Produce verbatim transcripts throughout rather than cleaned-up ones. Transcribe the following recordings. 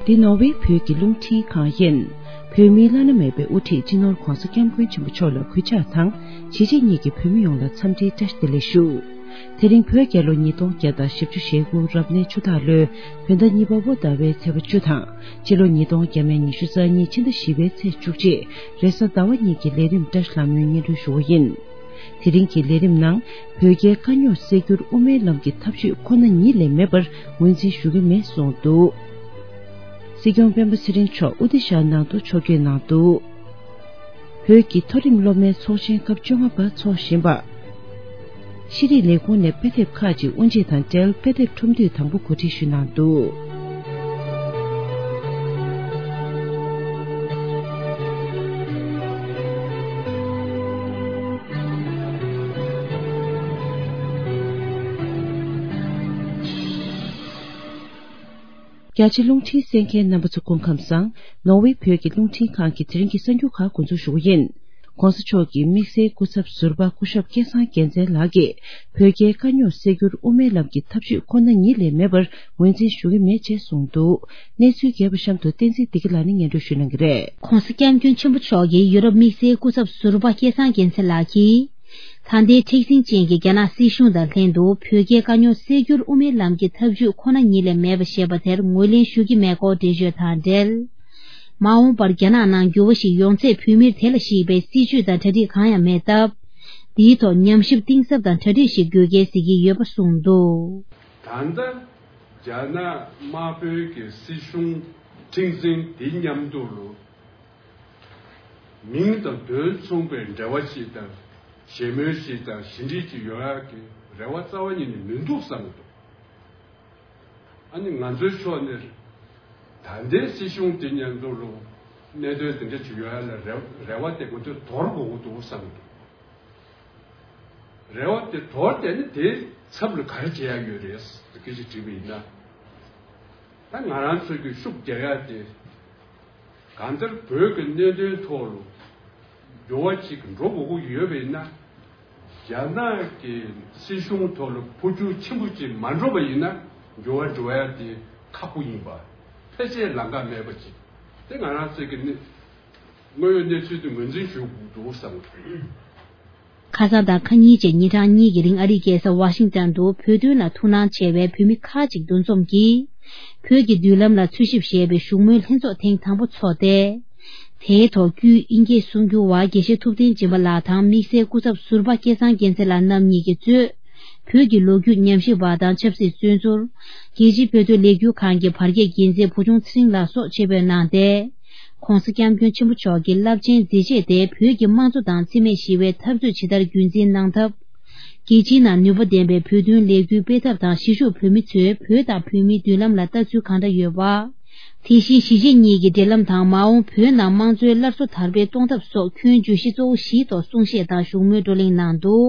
འདི་ནོར་ཝེ་བོད་ཀྱི་རླུང་འཕྲིན་ཁང་ཡིན། བོད་མིའི་བླ་ན་མེད་པའི་དབུ་ཁྲིད་སྤྱི་ནོར་ྋགོང་ས་ྋསྐྱབས་མགོན་ཆེན་པོ་མཆོག་ལ་གུས་ཕྱག་དང་། གཞིས་བྱེས་གཉིས་ཀྱི་བོད་མི་ཡོངས་ལ་འཚམས་འདྲིའི་བཀྲ་ཤིས་བདེ་ལེགས་ཞུ། དེ་རིང་བོད་རྒྱལ་ལོ་ཉིས་སྟོང་བརྒྱ་དང་བཞི་བཅུ་ཞེ་དགུ་རབ་གནས་ཆུ་སྟག་ལོའི་བོད་ཟླ་གཉིས་པ་པོ་ཟླ་བའི་ཚེས་པ་བཅུ་དང་། ཕྱི་ལོ་ཉིས་སྟོང་བརྒྱ་མེད་ཉི་ཤུ་རྩ་གཉིས་ཕྱི་ཟླ་བཞི་པའི་ཚེས་བཅུ་གཅིག་རེས་གཟའ་ཟླ་བ་གཉིས་ཀྱི་ལས་རིམ་བཀྲ་ཤིས་ལྷ་མོའི་སྙན་སྒྲོན་ཞུ་བ་ཡིན། དེ་རིང་གི་ལས་རིམ་ནང་། བོད་རྒྱའི་དཀའ་རྙོག་སེལ་རྒྱུར་དབུ་མའི་ལམ་གྱི་ཐབས་ཇུས་ཁོ་ན་ཉིད་ལས་མེད་པར་ངོས་འཛིན་ཞུ་གི་མེད་གསུངས་འདུག་སྲིད་སྐྱོང་སྤེན་པ་ཚེ་རིང་མཆོག་ཨུ་ཏི་ཤ་ནང་དུ་ཕྱོགས་བསྐྱོད་གནང་འདུག་བོད་ཀྱི་མཐོ་རིམ་སློབ་མའི་ཚོགས་ཆེན་སྐབས་བཅོ་ལྔ་པ་འཚོགས་བཞིན་པ། ཤེས་རིག་ལས་ཁུངས་ནས་དཔེ་དེབ་ཁག་ཅིག་དབུ་འབྱེད་དང་འབྲེལ་དཔེ་དེབ་ཁྲོམ་འདུས་དང་པོ་གོ་སྒྲིག་ཞུས་གནང་འདུག་རྒྱ་ཆེ་རླུང་འཕྲིན་གསན་མཁན་རྣམ་པ་ཚོ་སྐུ་ཁམས་བཟང་། ནོར་ཝེ་བོད་ཀྱི་རླུང་འཕྲིན་ཁང་གི་དེ་རིང་གི་གསར་འགྱུར་ཁག་འགོ་འཛུགས་ཞུ་བ་ཡིན། ྋགོང་ས་མཆོག་གི་དམིགས་བསལ་སྐུ་ཚབ་ཟུར་པ་སྐུ་ཞབས་སྐལ་བཟང་རྒྱལ་མཚན་ལགས་ཀྱིས་བོད་རྒྱའི་དཀའ་རྙོག་སེལ་རྒྱུར་དབུ་མའི་ལམ་གྱི་ཐབས་ཇུས་ཁོ་ན་ཉིད་ལས་མེད་པར་ངོས་འཛིན་ཞུ་གི་མེད་ཅེས་གསུངས་འདུག་གནས་ཚུལ་རྒྱས་པ་གཤམ་དུ་བསྟན་འཛིན་བདེ་སྐྱིད་ལགས་ནས་སྙན་སྒྲོན་ཞུ་གནང་གི་རེད། ྋགོང་ས་ྋསྐྱབས་མགོན་ཆེན་པོ་མཆོག་གིས་ཡུ་རོབ་དམིགས་བསལ་སྐུ་ཚབ་ཟུར་པ་སྐལ་བཟང་རྒྱལ་མཚན་ལགས་ཀྱིས། ད་ལྟའི་མཁྲེགས་འཛིན་ཅན་གྱི་རྒྱ་ནག་སྲིད་གཞུང་དང་ལྷན་དུ་བོད་རྒྱའི་དཀའ་རྙོག་སེལ་རྒྱུར་དབུ་མའི་ལམ་གྱི་ཐབས་ཇུས་ཁོ་ན་ཉིད་ལས་མེད་པ་ཞེས་པ་དེར་ངོས་ལེན་ཞུ་གི་མེད་སྐོར་འགྲེལ་བརྗོད་དང་འབྲེལ། མ་འོངས་པར་རྒྱ་ནག་ནང་འགྱུར་བ་ཞིག་ཡོང་ཚེ་བོད་མིར་དེ་ལ་གཞིགས་པའི་སྲིད་ཇུས་དང་གྲ་སྒྲིག་གང་ཡང་མེད་སྟབས། འདིའི་ཐོག་ཉམས་ཞིབ་གཏིང་ཟབ་དང་གྲ་སྒྲིག་ཞིག་དགོས་གལ་གཟིགས་ཀྱི་ཡོད་པ་གསུངས་འདུག་ད་ལྟ་རྒྱ་ནག་དམར་པོའི་གི་སྲིད་གཞུང་མཁྲེགས་འཛིན་འདི་མཉམ་དུ་ལོ། མིང་དང་དོན་མཚུངས་པའི་འབྲེལ་བ་ཞིག་དང་། ཞལ་མོལ་ཞིག་དང་ཞི་འགྲིག་ཅིག་ཡོང་ཡག་གི་རེ་བ་རྩ་བ་ཉིད་ནས་མི་འདུག་བསམ་གྱི་འདུག་ཨ་ནི་ང་ཚོའི་ཕྱོགས་ནས་ད་ལྟའི་སྲིད་གཞུང་དེ་མཉམ་དུ་ལོ་གནད་དོན་དེ་འདྲ་ཅིག་ཡོང་ཡག་ལ་རེ་རེ་བ་དེ་ང་ཚོས་དོར་དགོས་ཀྱི་འདུག་བསམ་གྱི་འདུག་རེ་བ་དེ་དོར་བསྡད་ན་དེའི་ཚབ་ལ་ག་རེ་བྱེད་ཡག་ཡོད་རེད་ཟེར་སྐད་ཆ་དྲིས་པ་ཡིན་ན། ད་ང་རང་ཚོ་གི་ཤུགས་རྒྱག་ཡག་དེ་གང་ལྟར་བོད་ཀྱི་གནད་དོན་ཐོག་ལ་འགྱུར་བ་ཅིག་འགྲོ་དགོས་ཀྱི་ཡོད་པ་ཡིན་ན། རྒྱ་ནག་གི་སྲིད་གཞུང་ཐོག་ལ་འཕོ་འགྱུར་ཆེན་པོ་ཅིག་མ་འགྲོ་བ་ཡིན་ན་འགྱུར་བ་འགྲོ་ཡག་དེ་ཁག་པོ་ཡིན་པ། ཕལ་ཆེར་ལམ་ཁ་མེད་པ་ཅིག་དེ་ང་རང་ཚོ་གི་གནས་དངོས་ཡོད་གནས་ཚུལ་དེ་ངོས་འཛིན་ཞུ་དགོས་འདུག་བསམ་གྱི་འདུག་ཁ་སང་དང་ཁ་ཉིན་བཅས་ཉིན་གྲངས་གཉིས་ཀྱི་རིང་ཨ་རིའི་རྒྱལ་ས་ཝ་ཤིང་ཏན་དུ་བོད་དོན་ལ་ཐུགས་སྣང་ཆེ་བའི་བོད་མི་ཁག་ཅིག་འདུ་འཛོམས་ཀྱིས། བོད་ཀྱི་མདུན་ལམ་ལ་འཚོལ་ཞིབ་ཞེས་པའི་བཞུགས་མོལ་ལྷན་ཚོགས་ཐེངས་དང་པོ་འཚོགས་ཏེ། དེའི་ཐོག་དཀྱུས་ཨིན་སྐད་གསུང་སྒྱུར་བ་དགེ་བཤེས་ཐུབ་བསྟན་སྦྱིན་པ་ལགས་དང་དམིགས་བསལ་སྐུ་ཚབ་ཟུར་པ་སྐལ་བཟང་རྒྱལ་མཚན་ལགས་རྣམ་གཉིས་ཀྱིས་གཙོས། བོད་ཀྱི་ལོ་རྒྱུས་ཉམས་ཞིབ་པ་དང་ཆབ་སྲིད་བཙོན་ཟུར། རྒྱལ་སྤྱིའི་བོད་དོན་ལས་འགུལ་ཁང་གི་བར་བརྒལ་འགན་འཛིན་བུ་ཆུང་ཚེ་རིང་ལགས་སོགས་ཆེད་ཕེབས་གནང་སྟེ། ྋགོང་ས་ྋསྐྱབས་མགོན་ཆེན་པོ་མཆོག་གི་རླབས་ཆེན་མཛད་རྗེས་དེ་བོད་ཀྱི་དམངས་གཙོ་དང་འཚེ་མེད་ཞི་བའི་འཐབ་རྩོད་ཇི་ལྟར་རྒྱུན་འཛིན་གནང་ཐབས། རྒྱལ་སྤྱིའི་ནང་ནུས་པ་ལྡན་པའི་བོད་དོན་ལས་འགུལ་སྤེལ་ཐབས་དང་གཞིས་བཞུགས་བོད་མི་ཚོས་བོད་དང་བོད་མིའི་མདུན་ལམ་ལ་ལྟ་ཚུལ་གང་འདྲ་ཡོད་པ། དེ་བཞིན་གཞིས་བྱེས་གཉིས་ཀྱི་འབྲེལ་ལམ་དང་མ་འོངས་བོད་ནང་དམངས་གཙོའི་སླར་གསོ་དར་སྤེལ་གཏོང་ཐབས་སོགས་ཁྱོན་བརྗོད་གཞི་གཙོ་བོ་བཞིའི་ཐོག་གསུང་བཤད་དང་བཞུགས་མོལ་བགྲོ་གླེང་གནང་འདུག་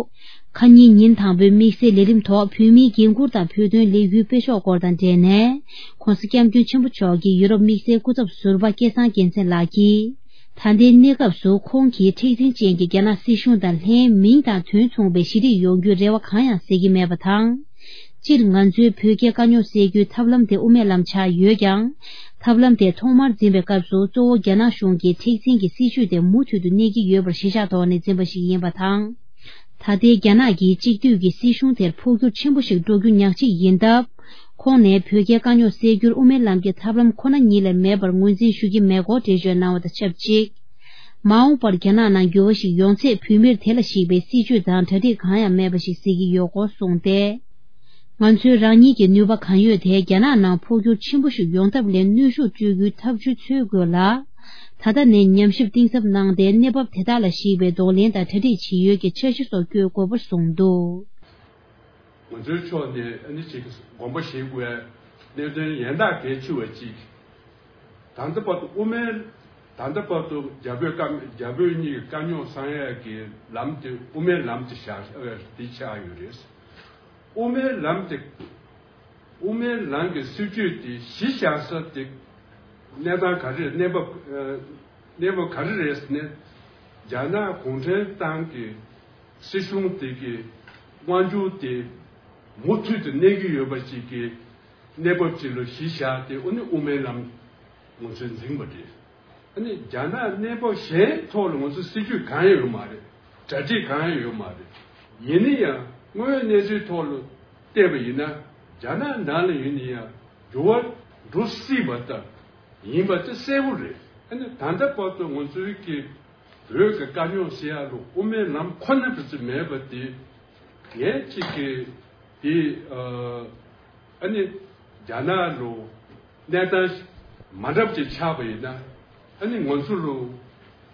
ཁ་ཉིན་ཉིན་དང་པོའི་དམིགས་བསལ་ལས་རིམ་ཐོག་བོད་མིའི་འགན་འཁུར་དང་བོད་དོན་ལས་འགུལ་སྤེལ་ཕྱོགས་སྐོར་དང་འབྲེལ་ནས། ྋགོང་ས་ྋསྐྱབས་མགོན་ཆེན་པོ་མཆོག་གིས་ཡུ་རོབ་དམིགས་བསལ་སྐུ་ཚབ་ཟུར་པ་སྐལ་བཟང་རྒྱལ་མཚན་ལགས་ཀྱིས། ད་ལྟའི་གནས་སྐབས་སུ་ཁོང་གིས་མཁྲེགས་འཛིན་ཅན་གྱི་རྒྱ་ནག་སྲིད་གཞུང་དང་ལྷན་མིང་དང་དོན་མཚུངས་པའི་ཞི་འགྲིག་ཡོང་རྒྱུའི་རེ་བ་གང་ཡང་གཟིགས་ཀྱི་མེད་པ་དང་། སྤྱིར་ང་ཚོའི་བོད་རྒྱའི་དཀའ་རྙོག་སེལ་རྒྱུའི་ཐབས་ལམ་དེ་དབུ་མའི་ལམ་ཆགས་ཡོད་ཀྱང་། ཐབས་ལམ་དེ་ཐོག་མར་འཛིན་པའི་སྐབས་སུ་གཙོ་བོ་རྒྱ་ནག་གཞུང་གི་མཁྲེགས་འཛིན་གྱི་སྲིད་བྱུས་དེ་མུ་མཐུད་དུ་གནས་ཀྱི་ཡོད་པར་གཞི་བཞག་ཐོག་ནས་འཛིན་པ་ཞིག་ཡིན་པ་དང་། ད་ལྟའི་རྒྱ་ནག་གི་གཅིག་སྡུད་ཀྱི་སྲིད་གཞུང་དེར་འཕོ་འགྱུར་ཆེན་པོ་ཞིག་འགྲོ་རྒྱུ་ཉག་གཅིག་ཡིན་སྟབས། ཁོང་ནས་བོད་རྒྱའི་དཀའ་རྙོག་སེལ་རྒྱུར་དབུ་མའི་ལམ་གྱི་ཐབས་ལམ་ཁོ་ན་ཉིད་ལས་མེད་པར་ངོས་འཛིན་ཞུ་གི་མེད་སྐོར་འགྲེལ་བརྗོད་གནང་བ་དང་ཆབས་ཅིག་མ་འོངས་པར་རྒྱ་ནག་ནང་འགྱུར་བ་ཞིག་ཡོང་ཚེ་བོད་མིར་དེ་ལ་གཞིགས་པའི་སྲིད་བྱུས་དང་གྲ་སྒྲིག་གང་ཡང་མེད་པ་ཞིག་གཟིགས་ཀྱི་ཡོད་སྐོར་གསུངས་ཏེ། ང་ཚོས་རང་ཉིད་ཀྱི་ནུས་པ་གང་ཡོད་དེ་རྒྱ་ནག་ནང་འཕོ་འགྱུར་ཆེན་པོ་ཞིག་ཡོང་ཐབས་ལ་གནོན་ཤུགས་སྤྲོད་རྒྱུའི་ཐབས་ཇུས་འཚོལ་དགོས་ལ། ད་ལྟ་ནས་ཉམས་ཞིབ་གཏིང་ཟབ་གནང་སྟེ་གནས་བབ་དེ་དག་ལ་གཞིགས་པའི་གདོང་ལེན་དང་གྲ་སྒྲིག་བྱེད་ཡུལ་གྱི་འཆར་གཞི་སོགས་བཀོད་དགོས་པར་གསུངས་འདུག་ང་ཚོའི་ཕྱོགས་ནས་ཨ་ནི་ཅིག་དགོངས་པ་བཞེས་དགོས་པའི་གནད་དོན་ཡན་ལག་གལ་ཆེ་བ་ཅིག་ད་ལྟ་བར་དུ་དབུ་མའི་ད་ལྟ་བར་དུ་རྒྱ་བོད་བཀའ་རྒྱ་བོད་གཉིས་ཀྱི་དཀའ་རྙོག་སེལ་ཡས་ཀྱི་ལམ་དེ་དབུ་མའི་ལམ་དེ་བཞག་ཨ་དེ་ཆགས་ཡོད་རེད། དབུ་མའི་ལམ་དེ་དབུ་མའི་ལམ་གྱི་སྲིད་བྱུས་དེ་གཞི་བཞག་ས་དེ་གནས་སྟངས་ག་རེ་རེད། གནས་བབ་ཨ་གནས་བབ་ག་རེ་རེད་ཟེར་ན། རྒྱ་ནག་གུང་ཁྲན་ཏང་གི་སྲིད་གཞུང་དེ་གི་དབང་སྒྱུར་དེ་མུ་མཐུད་དུ་གནས་ཀྱི་ཡོད་པ་ཅིག་གི་གནས་བབ་ཅིག་ལ་གཞི་བཞག་སྟེ་ཨ་ནི་དབུ་མའི་ལམ། ང་ཚོས་འཛིན་པ་རེད། ཨ་ནི་རྒྱ་ནག་གནས་བབ་གཞན་ཐོག་ལ་ང་ཚོ་སྲིད་ཇུས་གང་ཡང་ཡོད་མ་རེད། གྲ་སྒྲིག་གང་ཡང་ཡོད་མ་རེད། ཡིན་ན་ཡང་དངོས་ཡོད་གནས་ཚུལ་ཐོག་ལ་བལྟས་པ་ཡིན་ན། རྒྱ་ནག་ནང་ལ་ཡིན་ན་ཡང་འགྱུར་བ་འགྲོ་སྲིད་པ་ལྟ་ཡིན་པ་དེ་གསལ་པོ་རེད། ཨ་ནི་ད་ལྟ་བར་དུ་ང་ཚོའི་གི་བོད་ཀྱི་དཀའ་རྙོག་སེལ་ཡག་ལ་དབུ་མའི་ལམ་ཁོ་ན་བུ་ཚོ་མེད་པ་དེ། ངས་གཅིག་གི་དེ་ཨ་ནི་རྒྱ་ནག་ལ་གནས་སྟངས་མ་འདྲ་བ་ཅིག་ཆགས་པ་ཡིན་ན། ཨ་ནི་ང་ཚོ་ལ་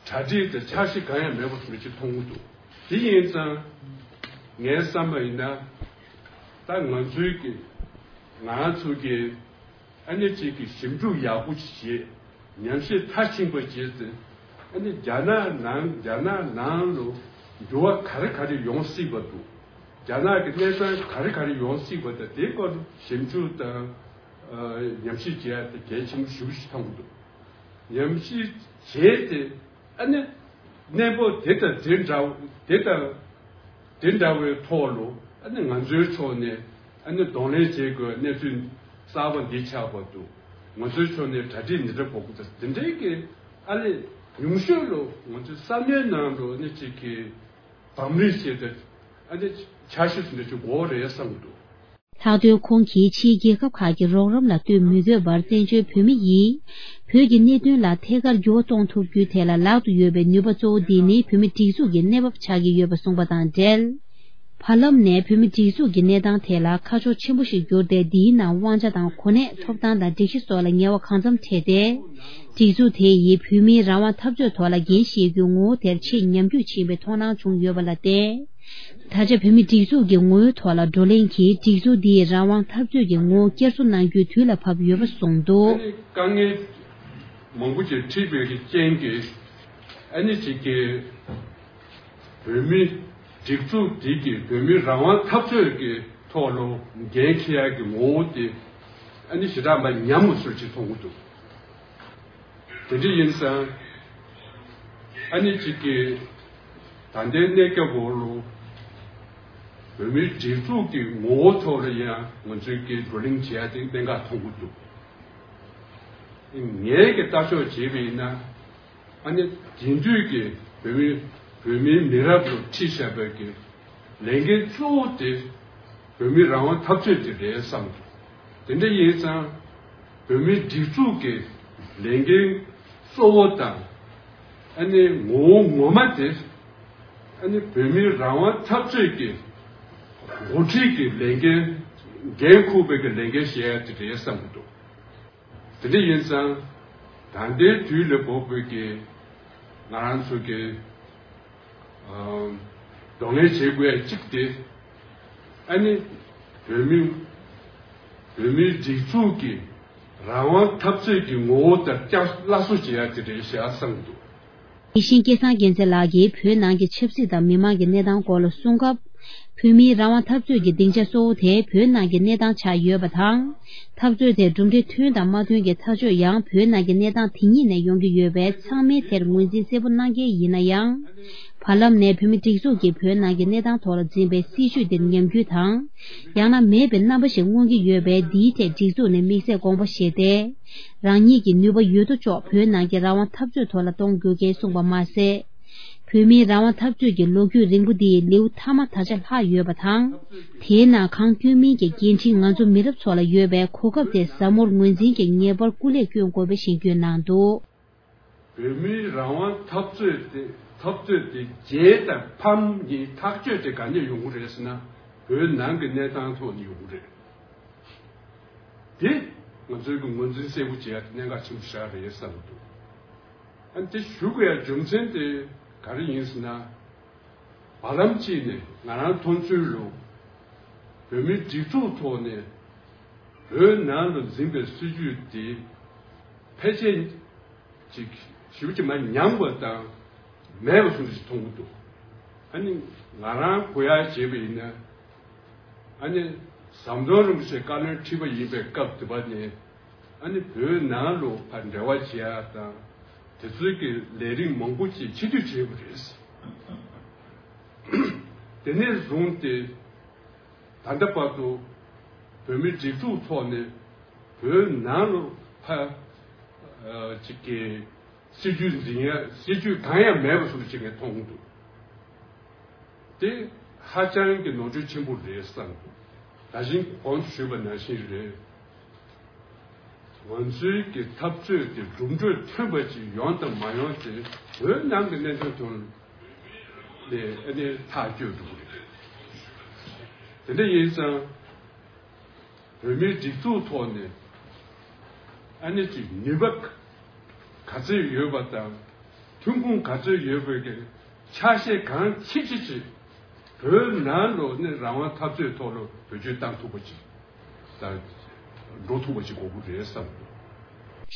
གྲ་སྒྲིག་དང་འཆར་གཞི་གང་ཡང་མེད་པ་བཟོ་འདྲ་ཅིག་མཐོང་གི་འདུག་དེ་ཡིན་ཙང་ངའི་བསམ་པ་ཡིན་ན། ད་ང་ཚོའི་གི་ང་ཚོ་གི་ཨ་ནི་གཅིག་གི་ཞིབ་འཇུག་ཡག་པོ་ཅིག་བྱེད། ཉམས་ཞིབ་མཐར་ཕྱིན་པ་བྱས་ཏེ། ཨ་ནི་རྒྱ་ནག་ནང་རྒྱ་ནག་ནང་ལ་འགྱུར་བ་ག་རེ་ག་རེ་ཡོང་སྲིད་པ་འདུག་རྒྱ་ནག་གི་གནས་སྟངས་ག་རེ་ག་རེ་ཡོང་སྲིད་པ་དང་། དེའི་སྐོར་ཞིབ་འཇུག་དང་ཉམས་ཞིབ་བྱེད་ཡག་དེ་གལ་ཆེན་པོ་ཞེ་པོ་ཞིག་མཐོང་གི་འདུག་ཉམས་ཞིབ་བྱས་ཏེ། ཨ་ནི་གནས་བབ་དེ་དང་དེ་འདྲ་དེ་དང་དེ་འདྲ་བའི་ཐོག་ལ། ཨ་ནི་ང་ཚོའི་ཕྱོགས་ནས་ཨ་ནི་གདོང་ལེན་བྱེད་དགོས་གནས་ཚུལ་གསར་པ་འདི་ཆགས་པ་འདུག་ང་ཚོའི་ཕྱོགས་ནས་གྲ་སྒྲིག་འདི་འདྲ་དགོས་ཀྱི་འདུག་དེ་འདྲའི་གི་ཨ་ལས་ཉུང་ཤོས་ལ་ང་ཚོའི་ས་གནས་ནང་ལ་ཨ་ནི་གཅིག་གི་བམ་རིམ་བྱས་ཏེ། ཨ་ནི་འཆར་གཞི་བཟོ་འདྲ་ཅིག་དགོས་རེད་བསམ་གྱི་འདུག་ལྷག་དོན་ཁོང་གིས་ཕྱིའི་རྒྱལ་ཁབ་ཁག་གི་རོགས་རམ་ལ་ལྟོས་མི་དགོས་པར། བཙན་བྱོལ་བོད་མི་ཡིས་བོད་ཀྱི་གནད་དོན་ལ་ཐད་ཀར་འགྱུར་བ་གཏོང་ཐུབ་རྒྱུའི་ཐད་ལ་ལག་ཏུ་ཡོད་པའི་ནུས་པ་གཙོ་བོ་འདི་ནི་བོད་མིའི་སྒྲིག་འཛུགས་ཀྱི་གནས་བབ་ཆགས་ཀྱི་ཡོད་པ་གསུངས་པ་དང་འབྲེལ། བར་ལམ་ནས་བོད་མིའི་སྒྲིག་འཛུགས་ཀྱི་གནས་སྟངས་ཐད་ལ་ཁ་ཕྱོགས་ཆེན་པོ་ཞིག་གྱུར་ཏེ། འདིའི་ནང་དབང་ཆ་དང་གོ་གནས། ཐོབ་ཐང་དང་སྒྲིག་གཞི་སོགས་ལ་ངལ་བ་གང་འཚམ་འཕྲད་དེ། སྒྲིག་འཛུགས་དེ་ཡིས་བོད་མིའི་རང་དབང་འཐབ་རྩོད་ཐོག་ལ་འགན་བཞེས་རྒྱུའི་ངོ་བོ་དེར་ཆེས་ཉམས་རྒུད་ཕྱིན་པའི་མཐོང་སྣང་བྱུང་ཡོད་པ་ལ་བརྟེན། ད་ཆ་བོད་མིའི་སྒྲིག་འཛུགས་ཀྱི་ངོ་བོའི་ཐོག་ལ་བགྲོ་གླེང་གིས་སྒྲིག་འཛུགས་འདིའི་རང་དབང་འཐབ་རྩོད་ཀྱི་ངོ་བོ་བསྐྱར་གསོ་གནང་རྒྱུའི་དུས་ལ་བབ་ཡོད་པ་གསུངས་འདུག་དཀའ་ངལ་མང་པོ་ཅིག་འཕྲད་པའི་རྐྱེན་གྱིས། ཨ་ནི་གཅིག་གི་བོད་མིའི་སྒྲིག་འཛུགས་འདི་གིས་བོད་མིའི་རང་དབང་འཐབ་རྩོད་ཀྱི་ཐོག་ལ་འགན་འཁྱེར་ཡག་གི་ངོ་བོ་དེ་ཨ་ནི་ཞེ་དྲག་མ་ཉམས་པ་བཟོ་ཅིག་མཐོང་གི་འདུག་དེ་འདྲ་ཡིན་ཙང་། ཨ་ནི་གཅིག་གིས་ད་ལྟའི་གནས་སྐབས་འོག་ལ་བོད་མིའི་སྒྲིག་འཛུགས་ཀྱི་ངོ་བོ་ཐོག་ལ་ཡང་ང་ཚོས་ཀྱི་བགྲོ་གླེང་བྱེད་ཡ་དེ་གནད་འགག་མཐོང་གི་འདུག་ངས་ཀྱི་ལྟ་ཕྱོགས་བྱས་པ་ཡིན་ན། ཨ་ནི་དེང་དུས་ཀྱི་བོད་མི་བོད་མིའི་མི་རབས་ལ་ཁྲིད་བཞག་པའི་གི་ལས་འགན་གཙོ་བོ་དེ་བོད་མིའི་རང་དབང་འཐབ་རྩོད་དེ་རེད་བསམ་འདུག་དེ་འདྲ་ཡིན་ཙང་བོད་མིའི་སྒྲིག་འཛུགས་ཀྱི་ལས་འགན་གཙོ་བོ་དང་། ཨ་ནི་ངོ་བོ་ངོ་མ་དེ་ཨ་ནི་བོད་མིའི་རང་དབང་འཐབ་རྩོད་ཀྱི་འགོ་ཁྲིད་ཀྱི་ལས་འགན་འགན་འཁུར་བའི་གི་ལས་འགན་བཞེས་ཡ་དེ་རེད་བསམ་གྱི་འདུག་དེ་འདྲ་ཡིན་ཙང་ད་ལྟའི་དུས་ལ་བབ་པའི་གི་ང་རང་ཚོ་གི་ཨམ་གདོང་ལེན་བྱེད་དགོས་ཡ་གཅིག་དེ། ཨ་ནི་བོད་མི་བོད་མིའི་སྒྲིག་འཛུགས་ཀྱི་རང་དབང་འཐབ་རྩོད་ཀྱི་ངོ་བོ་དེ་བསྐྱར་སླར་གསོ་བྱེད་ཡ་དེ་རེད་ཤག་བསམ་འདུག་དེ་བཞིན་སྐལ་བཟང་རྒྱལ་མཚན་ལགས་ཀྱིས་བོད་ནང་གི་ཆབ་སྲིད་དང་མི་མང་གི་གནས་སྟངས་སྐོར་ལ་གསུངས་སྐབས། བོད་མིའི་རང་དབང་འཐབ་རྩོད་ཀྱི་སྡིངས་ཆ་གཙོ་བོ་དེ་བོད་ནང་གི་གནས་སྟངས་ཆགས་ཡོད་པ་དང་། འཐབ་རྩོད་དེ་གྲུབ་འབྲས་ཐོན་དང་མ་ཐོན་གྱི་ཐག་གཅོད་ཡང་བོད་ནང་གི་གནས་སྟངས་དེ་ཉིད་ནས་ཡོང་གི་ཡོད་པས། ཚང་མས་དེར་ངོས་འཛིན་གསལ་པོ་གནང་གལ་ཡིན་ན་ཡང་། བར་ལམ་ནས་བོད་མི་སྒྲིག་འཛུགས་ཀྱིས་བོད་ནང་གི་གནས་སྟངས་ཐོག་ལ་འཛིན་པའི་སྲིད་བྱུས་དེར་ཉམས་རྒུད་དང་། ཡང་ན་མེད་པའི་རྣམ་པ་ཞིག་མངོན་གྱི་ཡོད་པས། འདིའི་ཐད་སྒྲིག་འཛུགས་ནས་དམིགས་བསལ་དགོངས་པ་བཞེས་ཏེ། རང་ཉིད་ཀྱི་ནུས་པ་ཡོད་དོ་ཅོག་བོད་ནང་གི་རང་དབང་འཐབ་རྩོད་ཐོག་ལ་གཏོང་དགོས་སྐལ་གསུངས་པ་མ་ཟད། བོད་མིའི་རང་དབང་འཐབ་རྩོད་ཀྱི་ལོ་རྒྱུས་རིང་པོ་འདིའི་ལེའུ་མཐའ་མ་ད་ཆ་ལྷག་ཡོད་པ་དང་། དེའི་ནང་གང་སྐྱོན་མིན་གྱི་འགན་འཁྲི་ང་ཚོ་མི་རབས་ཚོ་ལ་ཡོད་པས། གོ་སྐབས་དེ་ཟབ་མོར་ངོས་འཛིན་གྱིས་ངེས་པར་སྐུ་ལས་བསྐྱོན་དགོས་པའི་ཞེན་སྐུལ་གནང་འདུག་བོད་མིའི་རང་དབང་འཐབ་རྩོད་དེ་འཐབ་རྩོད་དེ་རྗེས་དང་ཕམ་གྱི་ཐག་གཅོད་དེ་ག་ནས་ཡོང་གི་རེད་ཟེར་ན། བོད་ནང་གི་གནས་སྟངས་ཐོག་ནས་ཡོང་གི་རེད། དེ་ང་ཚོའི་གི་ངོས་འཛིན་གསལ་པོ་བྱེད་ཡ་དེ་གནད་འགག་ཆེན་པོ་ཞིག་རེད་བསམ་གྱི་འདུག་ཨ་ནི་དེ་ཞུ་དགོས་ཡ་རྒྱུ་མཚན་དེ་ག་རེ་ཡིན་ཟེར་ན། བར་ལམ་གཅིག་ནས་ང་རང་མཐོང་ཚུལ་ལ། བོད་མིའི་སྒྲིག་འཛུགས་ཐོག་ནས་བོད་ནང་དུ་འཛིན་པའི་སྲིད་བྱུས་དེ་ཕལ་ཆེར་ཅིག་ཞེ་པོ་ཅིག་མར་ཉམས་པ་དང་མེད་པ་བཟོ་འདྲ་ཞིག་མཐོང་གི་འདུག་ཨ་ནི་ང་རང་གོ་ཡ་བྱས་པ་ཡིན་ན། ཨ་ནི་ཟམ་གདོང་རིན་པོ་ཆེ་བཀའ་བློན་ཁྲི་པ་ཡིན་པའི་སྐབས་དེ་པ་ནས། ཨ་ནི་བོད་ནང་ལ་ཕར་འབྲེལ་བ་བྱེད་ཡ་དང་། དེ་ཚོའི་གི་ལས་རིམ་མང་པོ་ཅིག་ཕྱིར་བསྡུ་བྱས་པ་རེད། དེ་ནས་བཟུང་སྟེ་ད་ལྟ་བར་དུ་བོད་མིའི་སྒྲིག་འཛུགས་ཐོག་ནས་བོད་ནང་ལ་ཕར་ ཅིག་གི་སྲིད་ཇུས་འཛིན་ཡ་སྲིད་ཇུས་གང་ཡང་མེད་པ་བཟོ་ཅིག་གི་མཐོང་འདུག་དེ་ཧ་ཅང་གི་ནོར་འཁྲུལ་ཆེན་པོ་རེད་བསམ་འདུག་ད་བཞིན་གོང་དུ་ཞུས་པ་ནང་བཞིན་རེད། ང་ཚོའི་གི་འཐབ་རྩོད་དེ་གྲུབ་འབྲས་ཐོན་པ་ཅིག་ཡོང་དང་མ་ཡོང་དེ་བོད་ནང་གི་གནད་དོན་ཐོག་ལས་ཨ་ནི་ཐག་གཅོད་འགྲོ་གི་རེད། དེ་འདྲ་ཡིན་ཙང་། བོད་མིའི་སྒྲིག་འཛུགས་ཐོག་ནས་ཨ་ནི་ཅིག་ནུས་པ་ག་ཚོད་ཡོད་པ་དང་ཐོན་ཁུངས་ག་ཚོད་ཡོད་པའི་གི་ཆ་ཤས་གང་ཅི་ཅི་ཅིག་བོད་ནང་ལོགས་ནས་རང་དབང་འཐབ་རྩོད་ཐོག་ལ་བེད་སྤྱོད་བཏང་ཐུབ་པ་ཅིག་དང་འགྲོ་ཐུབ་པ་ཅིག་དགོས་ཀྱི་རེད་བསམ།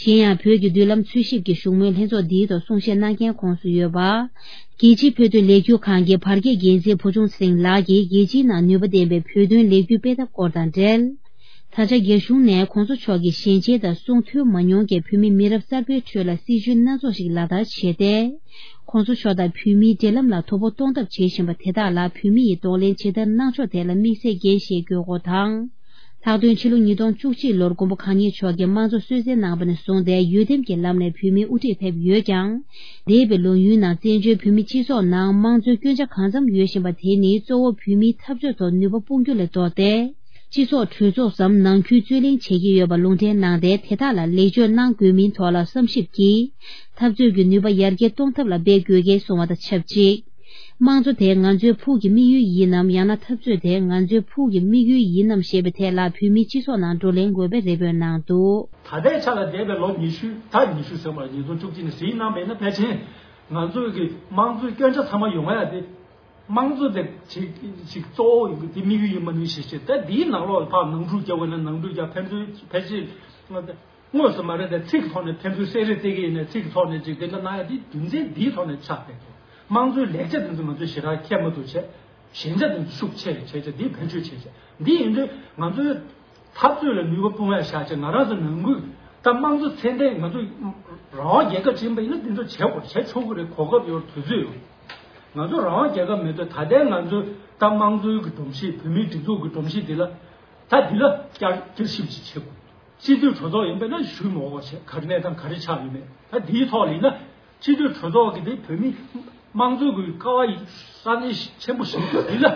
གཞན་ཡང་བོད་ཀྱི་མདུན་ལམ་འཚོལ་ཞིབ་ཀྱི་བཞུགས་མོལ་ལྷན་ཚོགས་འདིའི་ཐོག་གསུང་བཤད་གནང་མཁན་ཁོངས་སུ་ཡོད་པ། རྒྱལ་སྤྱིའི་བོད་དོན་ལས་འགུལ་ཁང་གི་བར་བརྒལ་འགན་འཛིན་བུ་ཆུང་ཚེ་རིང་ལགས་ཀྱིས་རྒྱལ་སྤྱིའི་ནང་ནུས་པ་ལྡན་པའི་བོད་དོན་ལས་འགུལ་སྤེལ་ཐབས་སྐོར་དང་འབྲེལ། ད་ཆ་རྒྱ་གཞུང་ནས་གོང་ས་མཆོག་གི་ཞལ་མཇལ་དང་གསུང་ཐོས་མ་མྱོང་མཁན་བོད་མི་མི་རབས་གསར་པའི་ཁྲོད་ལ་སྲིད་བྱུས་སྣ་ཚོགས་ཤིག་ལག་བསྟར་བྱས་ཏེ། གོང་ས་མཆོག་དང་བོད་མིའི་འབྲེལ་ལམ་ལ་དོ་ཕོག་གཏོང་ཐབས་བྱེད་བཞིན་པ་དེ་དག་ལ་བོད་མི་ཡིས་གདོང་ལེན་ཇི་ལྟར་གནང་ཕྱོགས་ཐད་ལ་དམིགས་བསལ་འགན་བཞེས་དགོས་སྐོར་དང་། ལྷག་དོན་ཕྱི་ལོ་ཉིས་སྟོང་བཅུ་གཅིག་ལོར་མགོན་པོ་གང་ཉིད་མཆོག་གིས་དམངས་གཙོ་གསོལ་སྩལ་གནང་བ་ནས་བཟུང་སྟེ་འོས་འདེམས་ཀྱི་ལམ་ནས་བོད་མིའི་དབུ་ཁྲིད་ཕེབས་ཡོད་ཀྱང་། འདས་པའི་ལོ་ཡུན་ནང་བཙན་བྱོལ་བོད་མིའི་སྤྱི་ཚོགས་ནང་དམངས་གཙོའི་སྐྱོན་ཆ་གང་འཚམ་ཡོད་བཞིན་པ་དེ་ནི་གཙོ་བོ་བོད་མིའི་འཐབ་རྩོད་ཐོག་ནུས་པ་སྤུངས་རྒྱུ་ལས་ལྡོག་སྟེ། སྤྱི་ཚོགས་གྲོས་ཚོགས་སམ་ནང་ཁུལ་རྩོད་གླེང་བྱེད་ཀྱི་ཡོད་པ་ལུང་འདྲེན་གནང་སྟེ། དེ་དག་ལ་ལེགས་བཅོས་གནང་དགོས་མིན་ཐོག་ལ་བསམ་ཞིབ་ཀྱིས། འཐབ་རྩོད་ཀྱི་ནུས་པ་ཡར་རྒྱས་གཏོང་ཐབས་ལ་འབད་དགོས་གལ་གསུངས་པ་དང་ཆབས་ཅིག་དམངས་གཙོ་དེ་ང་ཚོའི་ཕུགས་ཀྱི་དམིགས་ཡུལ་ཡིན་ནམ། ཡང་ན་འཐབ་རྩོད་དེ་ང་ཚོའི་ཕུགས་ཀྱི་དམིགས་ཡུལ་ཡིན་ནམ་ཞེས་པའི་ཐད་ལ་བོད་མིའི་སྤྱི་ཚོགས་ནང་བགྲོ་གླེང་དགོས་པའི་རེ་འབོད་གནང་འདུག་ད་ལྟའི་ཆ་ལ་འདས་པའི་ལོ་ཉི་ཤུ། ད་ཉི་ཤུ་ཟེར་བ་ཉིས་སྟོང་བཅུ་གཅིག་ནས་གཟིགས་གནང་བས་ན། ཕལ་ཆེར་ང་ཚོའི་གི་དམངས་གཙོའི་སྐྱོན་ཆ་ཚང་མ་ཡོང་ཡ་དེ། དམངས་གཙོ་དེ་ཅིག་ཅིག་གཙོ་བོ་ཡིན་གི་དེ་དམིགས་ཡུལ་ཡིན་མ་ནུས་ཞེས་བཤད། ད་འདིའི་ནང་ལོགས་ལ་ཕར་ནང་འཁྲུག་རྒྱག་དགོས་ན་ནང་འཁྲུག་རྒྱག་ཕན་ཚུན་ཕལ་ཆེར་དངོས་སུ་མ་རེད། དེ་ཚིག་གི་ཐོག་ནས་ཕན་ཚུན་བསྲེ་རེས་བྱེད་ཀྱི་ཡིན་ན་ཚིག་གི་ཐོག་ནས་ཅིག་དེ་འདྲ་གནང་ཡ་དེ་རྒྱུ་མཚན་འདིའི་ཐོག་ནས་ཆགས་པས། དམངས་གཙོའི་ལེགས་ཆ་དེ་ཚོ་ང་ཚོས་ཞེ་དྲག་མཁྱེན་མ་ཐུབ་བྱས། ཞན་ཆ་དེ་ཚོ་ཤུགས་ཆེ་བྱས་བྱས་འདི་བེད་སྤྱོད་བྱས་བྱས། འདི་ཡིན་དུས་ང་ཚོའི་འཐབ་རྩོད་ལ་ནུས་པ་སྤུངས་ཡ་བཞག་བྱས། ང་རང་ཚོ་ནང་ཁུལ་ད་དམངས་གཙོ་ཚད་ལྡན་ང་ཚོ་རང་དབང་རྒྱལ་ཁབ་ཅིག་ཡིན་པ་ཡིན་ན་འདི་ཚོ་བྱེད་དགོས། བྱེད་ཆོག་གི་རེད། གོ་སྐབས་ཡོད། དུས་ཚོད་ཡོད། ང་ཚོ་རང་དབང་རྒྱལ་ཁབ་མེད་དུས་ད་ལྟའི་ང་ཚོའི་ད་དམངས་གཙོའི་གི་སྒྲོམ་གཞི། བོད་མིའི་སྒྲིག་འཛུགས་ཀྱི་སྒྲོམ་གཞི་འདི་ལ་ད་འདི་ལ་བསྐྱར་བསྐྱར་ཞིབ་ཅིག་བྱེད་དགོས། སྤྱི་འཐུས་གྲོས་ཚོགས་ཡིན་པས་ན་ཞུ་མི་འོས་པ་བྱས། ག་རེ་གནས་སྟངས་ག་རེ་ཆགས་ཡོད་མེད། ད་འདིའི་ཐོག་ལ་ཡིན་ན་སྤྱི་འཐུས་གྲོས་ཚོགས་ཀྱི་དེ་བོད་མི་དམངས་གཙོའི་གི་ཀ་བ་ཡི་ས་གནས་ཆེན་པོ་ཞིག་འདི་ལ་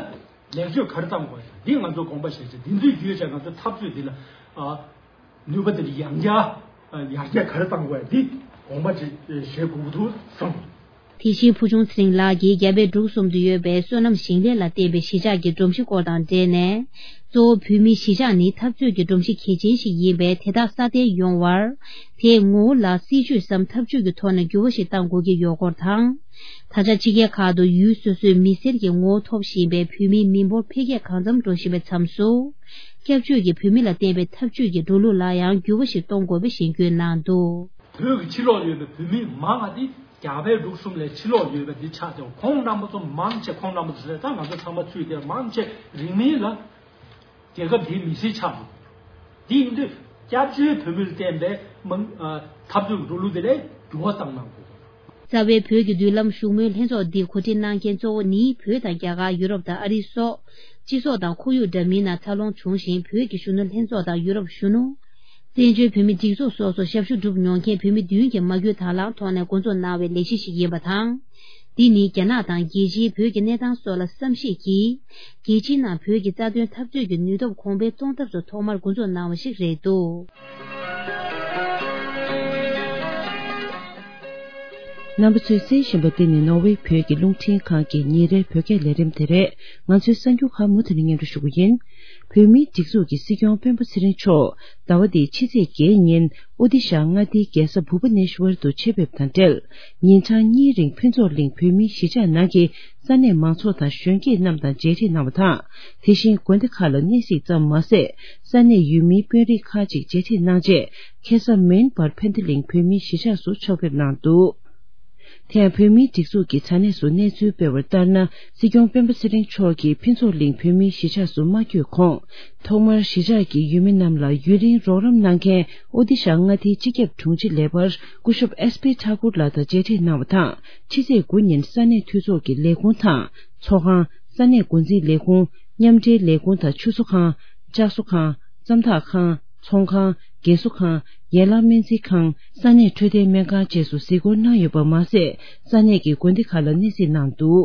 ལེགས་བཅོས་ག་རེ་གཏང་དགོས་ཡོད། འདི་ང་ཚོ་དགོངས་པ་བཞེས་བྱས། འདི་ཚོའི་བརྒྱུད་བྱས་ང་ཚོ་འཐབ་རྩོད་འདི་ལ་ཨ། ནུས་པ་དེ་ཡང་བསྐྱར་ཡར་རྒྱས་ག་རེ་གཏང་དགོས་འདི་དགོངས་པ་ཅིག་བཞེས་དགོས་ཀྱི་འདུག་བསམ། དེ་བཞིན་ཕུ་ཆུང་ཚེ་རིང་ལགས་ཀྱིས་རྒྱ་བལ་འབྲུག་གསུམ་དུ་ཡོད་པའི་སོ་ནམ་ཞིང་ལས་ལ་བརྟེན་པའི་གཞིས་ཆགས་ཀྱི་སྒྲོམ་གཞི་སྐོར་དང་འབྲེལ་ནས། གཙོ་བོ་བོད་མིའི་གཞིས་ཆགས་ནི་འཐབ་རྩོད་ཀྱི་སྒྲོམ་གཞི་གལ་ཆེན་ཞིག་ཡིན་པས། དེ་དག་སྲ་བརྟན་ཡོང་བར། དེའི་ངོ་བོ་ལ་སྲིད་ཇུས་སམ་འཐབ་ཇུས་ཀྱི་ཐོག་ནས་འགྱུར་བ་ཞིག་གཏང་དགོས་ཀྱི་ཡོད་སྐོར་དང་། ད་ཆ་ཕྱི་རྒྱལ་ཁག་ཏུ་ཡུལ་སོ་སོའི་མི་སེར་གྱི་ངོ་བོ་ཐོབ་བཞིན་པའི་བོད་མིའི་མི་འབོར་འཕེལ་རྒྱས་གང་འཚམ་འགྲོ་བཞིན་པའི་མཚམས་སུ། སྐྱབས་བཅོལ་གྱི་བོད་མི་ལ་བརྟེན་པའི་འཐབ་ཇུས་ཀྱི་འགྲོ་ལུགས་ལ་ཡང་འགྱུར་བ་ཞིག་གཏོང་དགོས་པའི་གཞེན་སྐུལ་གནང་འདུག་བོད་ཀྱི་ཕྱི་ལོགས་ཡོད་པའི་བོད་མི་མང་བ་དེ་རྒྱ་བལ་འབྲུག་གསུམ་ལས་ཕྱི་ལོགས་ཡོད་པ་འདི་ཆགས་ཀྱང་། ཁོང་རྣམ་པ་ཚོ་མང་ཆེ། ཁོང་རྣམ་པ་ཚོ་ཟེར་ད་ང་ཚོ་ཚང་མ་ཚུད་དེ་མང་ཆེ་རིང་མིན་ལ་རྒྱལ་ཁབ་འདིའི་མི་སེར་ཆགས་འདུག་དེ་ཡིན་དུས་སྐྱབས་བཅོལ་བོད་མིར་བརྟེན་པའི་མང་ཨ་འཐབ་རྩོད་ཀྱི་འགྲོ་ལུགས་དེ་ལ་འགྱུར་བ་བཏང་གནང་དགོས། རྩ་བའི་བོད་ཀྱི་མདུན་ལམ་བཞུགས་མོལ་ལྷན་ཚོགས་འདི་གོ་སྒྲིག་གནང་མཁན་གཙོ་བོ་ནི་བོད་དང་རྒྱ་གར། ཡུ་རོབ་དང་ཨ་རི་སོགས་སྤྱི་ཚོགས་དང་ཁོར་ཡུག་འདྲ་མིན་ནང་འཚར་ལོངས་བྱུང་ཞིང་། བོད་ཀྱི་གཞོན་ནུ་ལྷན་ཚོགས་དང་ཡུ་རོབ་གཞོན་ནུ། བཙན་བྱོལ་བོད་མི་སྒྲིག་འཛུགས་སོགས་སུ་ཞབས་ཞུ་བསྒྲུབས་མྱོང་མཁན་བོད་མི་བདུན་གྱིས་མ་བསྐྱོད་དང་བླངས་ཐོག་ནས་འགོ་འཛུགས་གནང་བའི་ལས་གཞི་ཞིག་ཡིན་པ་དང་། འདི་ནི་རྒྱ་ནག་དང་རྒྱལ་སྤྱིའི་བོད་ཀྱི་གནས་སྟངས་སོགས་ལ་བསམ་གཞིག་གིས། རྒྱལ་སྤྱིའི་ནང་བོད་ཀྱི་རྩ་དོན་འཐབ་རྩོད་ཀྱི་ནུས་སྟོབས་གོང་འཕེལ་གཏོང་ཐབས་སུ་ཐོག་མར་འགོ་འཛུགས་གནང་བ་ཞིག་རེད་འདུག་རྣམ་པ་ཚོས་གསན་བཞིན་པ་འདི་ནི་ནོར་ཝེ་བོད་ཀྱི་རླུང་འཕྲིན་ཁང་གི་ཉིན་རེའི་བོད་སྐད་ལས་རིམ་དེ་རེད། ང་ཚོའི་གསར་འགྱུར་ཁག་མུ་མཐུད་ནས་སྙན་སྒྲོན་ཞུ་གི་ཡིན། བོད་མིའི་སྒྲིག་འཛུགས་ཀྱི་སྲིད་སྐྱོང་སྤེན་པ་ཚེ་རིང་མཆོག་ཟླ་བ་འདིའི་ཕྱི་ཚེས་བརྒྱད་ཉིན་ཨོ་ཏི་ཤ་མངའ་སྡེའི་རྒྱལ་ས་བྷུ་བ་ནེ་ཤ་ཝར་དུ་ཆེད་ཕེབས་དང་འབྲེལ། ཉིན་གྲངས་གཉིས་རིང་ཕུན་ཚོགས་གླིང་བོད་མིའི་གཞིས་ཆགས་ནང་གི་ས་གནས་མང་ཚོགས་དང་གཞོན་སྐྱེས་རྣམས་དང་མཇལ་འཕྲད་གནང་བ་དང་། དེ་བཞིན་དགོན་སྡེ་ཁག་ལ་གནས་གཟིགས་ཙམ་མ་ཟད། ས་གནས་ཡུལ་མིའི་དཔོན་རིགས་ཁག་ཅིག་མཇལ་འཕྲད་གནང་རྗེས། ཁ་སང་མེན་པར་ཕན་ཐི་གླིང་བོད་མིའི་གཞིས་ཆགས་སུ་ཕྱག་ཕེབས་གནང་འདུག་དེ་ཡང་བོད་མིའི་སྒྲིག་འཛུགས་ཀྱི་དྲ་གནས་སུ་གནས་ཚུལ་སྤེལ་བར་ལྟར་ན། སྲིད་སྐྱོང་སྤེན་པ་ཚེ་རིང་མཆོག་གིས་ཕུན་ཚོགས་གླིང་བོད་མིའི་གཞིས་ཆགས་སུ་མ་བསྐྱོད་གོང་། ཐོག་མར་གཞིས་ཆགས་ཀྱི་ཡུལ་མི་རྣམས་ལ་ཡུན་རིང་རོགས་རམ་གནང་མཁན་ཨོ་ཏི་ཤ་མངའ་སྡེའི་སྤྱི་ཁྱབ་དྲུང་ཆེ་ལས་འཕར་སྐུ་ཞབས་ཨེས་པི་ཐ་ཀུར་ལགས་དང་མཇལ་འཕྲད་གནང་བ་དང་། ཕྱི་ཚེས་དགུ་ཉིན་ས་གནས་འཐུས་ཚོགས་ཀྱི་ལས་ཁུངས་དང་། ཚོགས་ཁང་། ས་གནས་འགོ་འཛིན་ལས་ཁུངས། མཉམ་འབྲེལ་ལས་ཁུངས་དང་ཆུ་བཟོ་ཁང་། བཅའ་བཟོ་ཁང་། ཙམ་ཐག་ཁང་། ཚོང་ཁང་། རྒས་གསོ་ཁང་། ཡན་ལག་སྨན་རྩིས་ཁང་། ས་གནས་འཕྲོད་བསྟེན་སྨན་ཁང་བཅས་སུ་གཟིགས་སྐོར་གནང་ཡོད་པ་མ་ཟད། ས་གནས་ཀྱི་དགོན་སྡེ་ཁག་ལ་གནས་གཟིགས་གནང་འདུག་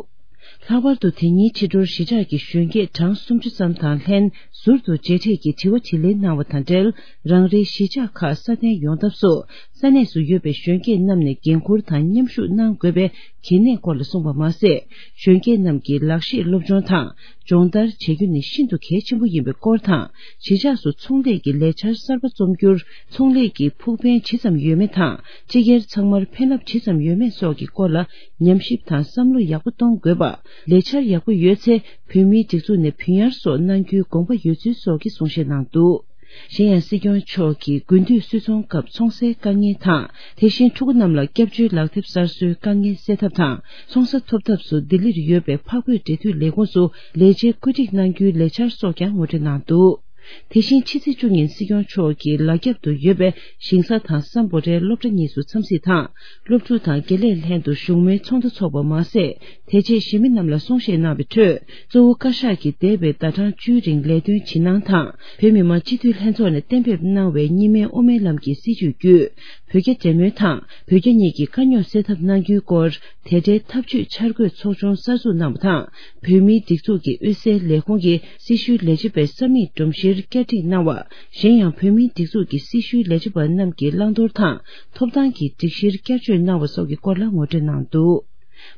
ལྷག་པར་དུ་དེ་ཉིན་ཕྱི་དྲོར་གཞིས་ཆགས་ཀྱི་གཞོན་སྐྱེས་གྲངས་སུམ་ཅུ་ཙམ་དང་ལྷན་ཟུར་དུ་མཇལ་འཕྲད་ཀྱིས་དྲི་བ་དྲིས་ལན་གནང་བ་དང་འབྲེལ། རང་རེའི་གཞིས་ཆགས་ཁག་སྲ་བརྟན་ཡོང་ཐབས་སུ། ས་གནས་སུ་ཡོད་པའི་གཞོན་སྐྱེས་རྣམས་ནས་འགན་འཁུར་དང་མཉམ་ཞུགས་གནང་དགོས་པའི་གལ་གནད་སྐོར་ལ་གསུངས་པ་མ་ཟད། གཞོན་སྐྱེས་རྣམས་ཀྱིས་ལག་ཤེས་སློབ་སྦྱོང་དང་སྦྱོང་བརྡར་བྱེད་རྒྱུ་ནི་ཤིན་ཏུ་གལ་ཆེན་པོ་ཡིན་པའི་སྐོར་དང་། གཞིས་ཆགས་སུ་ཚོང་ལས་ཀྱི་ལས་འཆར་གསར་པ་རྩོམ་རྒྱུར། ཚོང་ལས་ཀྱི་ཕུགས་ཕན་ཇི་ཙམ་ཡོད་མེད་དང་། སྤྱི་སྒེར་ཚང་མར་ཕན་རླབས་ཇི་ཙམ་ཡོད་མེད་སོགས་ཀྱི་སྐོར་ལ་ཉམས་ཞིབ་དང་བསམ་བློ་ཡག་པོ་གཏོང་དགོས་པ། ལས་འཆར་ཡག་པོ་ཡོད་ཚེ། བོད་མིའི་སྒྲིག་འཛུགས་ནས་བུན་གཡར་སོགས་གནང་རྒྱུའི་དགོངས་པ་ཡོད་ཚུལ་སོགས་ཀྱི་གསུང་བཤད་གནང་འདུག་གཞན་ཡང་སྲིད་སྐྱོང་མཆོག་གིས་དགུན་དུས་སོལ་ཚོང་སྐབས་ཚོང་སའི་དཀའ་ངལ་དང་། དེ་བཞིན་ཕྲུ་གུ་རྣམས་ལ་སྐྱབས་བཅོལ་ལག་དེབ་གསར་བཟོའི་དཀའ་ངལ་སེལ་ཐབས་དང་། ཚོང་ས་ཐོབ་ཐབས་སུ་ལྡི་ལིར་ཡོད་པའི་འཕགས་བོད་འབྲེལ་མཐུད་ལས་ཁུངས་སུ་ལས་བྱེད་བཀོད་སྒྲིག་གནང་རྒྱུའི་ལས་འཆར་སོགས་ཀྱང་ངོ་སྤྲོད་གནང་འདུག་དེ་བཞིན་ཕྱི་ཚེས་བཅུ་ཉིན་སྲིད་སྐྱོང་མཆོག་གིས་ལ་རྒྱབ་ཏུ་ཡོད་པའི་ཞིང་ས་དང་སམ་བྷོ་ཊའི་སློབ་གྲྭ་གཉིས་སུ་འཚམས་གཟིགས་དང་། སློབ་ཕྲུག་དང་དགེ་ལས་ལྷན་དུ་བཞུགས་མོལ་ཚོགས་འདུ་འཚོགས་པ་མ་ཟད། དེ་རྗེས་གཞིས་མི་རྣམས་ལ་གསུང་བཤད་གནང་བའི་ཁྲོད། གཙོ་བོ་བཀའ་ཤག་གིས་འདས་པའི་ཟླ་གྲངས་བཅུའི་རིང་ལས་དོན་ཇི་གནང་དང་། བོད་མི་མང་སྤྱི་འཐུས་ལྷན་ཚོགས་ནས་གཏན་འབེབས་གནང་བའི་གཉིས་སྨན་དབུ་མའི་ལམ་གྱི་སྲིད་བྱུས་བརྒྱུད། བོད་རྒྱ་འབྲེལ་མོལ་དང་། བོད་རྒྱ་གཉིས་ཀྱི་དཀའ་རྙོག་སེལ་ཐབས་གནང་རྒྱུའི་སྐོར། དེ་འབྲེལ་ཐབས་ཇུས་འཆར་འགོད་ཚོགས་ཆུང་གསར་འཛུགས་གནང་བ་དང་། བོད་མིའི་སྒྲིག་འཛུགས་ཀྱི་དབུས་སའི་ལས་ཁུངས་ཀྱི་སྲི་ཞུའི་ལས་བྱེད་པའི་ས་མིག་སྒྲོམ་གཞིར་བསྐྱར་སྒྲིག་གནང་བ། གཞན་ཡང་། བོད་མིའི་སྒྲིག་འཛུགས་ཀྱི་སྲི་ཞུའི་ལས་བྱེད་པ་རྣམས་ཀྱི་བླང་དོར་དང་། ཐོབ་ཐང་གི་སྒྲིག་གཞིར་བསྐྱར་བཅོས་གནང་བ་སོགས་ཀྱི་སྐོར་ལ་ངོ་སྤྲོད་གནང་འདུག་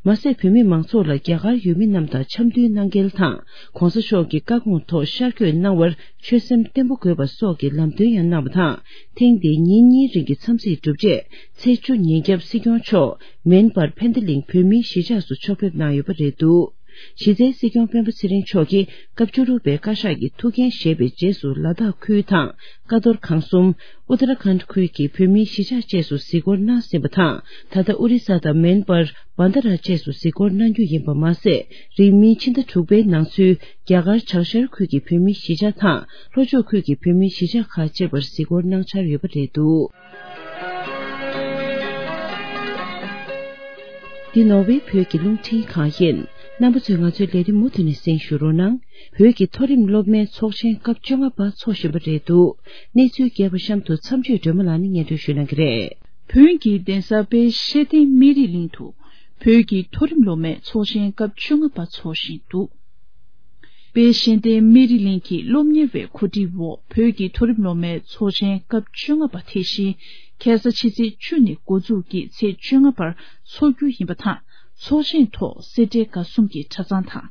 མ་ཟད། བོད་མི་མང་ཚོགས་ལ་རྒྱ་གར་ཡུལ་མི་རྣམས་དང་འཆམ་མཐུན་གནང་གལ་དང་། ྋགོང་ས་མཆོག་གི་བཀའ་དགོངས་ཐོག་ཤར་བསྐྱོད་གནང་བར་ཆོད་སེམས་བརྟན་པོ་དགོས་པ་སོགས་ཀྱི་ལམ་སྟོན་ཡང་གནང་བ་དང་། ཐེངས་འདིའི་ཉིན་གཉིས་རིང་གི་འཚམས་གཟིགས་གྲུབ་རྗེས། ཚེས་བཅུ་ཉིན་རྒྱབ་སྲིད་སྐྱོང་མཆོག་མེན་པར་ཕན་ཏི་ལིང་བོད་མིའི་གཞིས་ཆགས་སུ་ཕྱོགས་ཕེབས་གནང་ཡོད་པ་རེད་འདུག་གཞི་རྩའི་སྲིད་སྐྱོང་སྤེན་པ་ཚེ་རིང་མཆོག་གིས་སྐབས་བཅུ་དྲུག་པའི་བཀའ་ཤག་གི་ཐུགས་འགན་བཞེས་པའི་རྗེས་སུ། ལ་དྭགས་ཁུལ་དང་ཀ་རྡོར་ཁང་གསུམ། ཨུ་ཏ་ར་ཁཱན་ཁུལ་གྱི་བོད་མིའི་གཞིས་ཆགས་བཅས་སུ་གཟིགས་སྐོར་གནང་ཟིན་པ་དང་། ད་ལྟ་ཨོ་རི་ས་དང་མེན་པར། བྷན་དྷ་ར་བཅས་སུ་གཟིགས་སྐོར་གནང་རྒྱུ་ཡིན་པ་མ་ཟད། རིང་མིན་ཕྱི་ཟླ་དྲུག་པའི་ནང་ཚུད། རྒྱ་གར་བྱང་ཤར་ཁུལ་གྱི་བོད་མིའི་གཞིས་ཆགས་དང་། ལྷོ་ཕྱོགས་ཁུལ་གྱི་བོད་མིའི་གཞིས་ཆགས་ཁག་བཅས་པར་གཟིགས་སྐོར་གནང་འཆར་ཡོད་པ་རེད་འདུག་འདི་ནོར་ཝེ་བོད་ཀྱི་རླུང་འཕྲིན་ཁང་ཡིན། རྣམ་པ་ཚོས་ང་ཚོའི་ལས་རིམ་མུ་མཐུད་ནས་གསན་ཞུ་རོགས་གནང་། བོད་ཀྱི་མཐོ་རིམ་སློབ་མའི་ཚོགས་ཆེན་སྐབས་བཅོ་ལྔ་པ་འཚོགས་བཞིན་པ་རེད་འདུག་གནས་ཚུལ་རྒྱས་པ་གཤམ་དུ་མཚམས་གཅོད་སྒྲོལ་མ་ལགས་ནས་སྙན་སྒྲོན་ཞུ་གནང་གི་རེད། བོད་ཀྱི་གདན་ས་དཔལ་ཤེས་ལྡན་སྨན་རི་གླིང་དུ་བོད་ཀྱི་མཐོ་རིམ་སློབ་མའི་ཚོགས་ཆེན་སྐབས་བཅོ་ལྔ་པ་འཚོགས་བཞིན་འདུག་དཔལ་ཤེས་ལྡན་སྨན་རི་གླིང་གི་སློབ་གཉེར་བའི་གོ་སྒྲིག་འོག་བོད་ཀྱི་མཐོ་རིམ་སློབ་མའི་ཚོགས་ཆེན་སྐབས་བཅོ་ལྔ་པ་དེ་བཞིན་ཁ་སང་ཕྱི་ཚེས་བཅུ་ནས་འགོ་འཛུགས་ཀྱིས་ཚེས་བཅོ་ལྔ་བར་འཚོགས་རྒྱུ་ཡིན་པ་དང་། ཚོགས་ཆེན་ཐོག་སེ་འབྲས་དགའ་གསུམ་གྱི་གྲྭ་ཚང་དང་།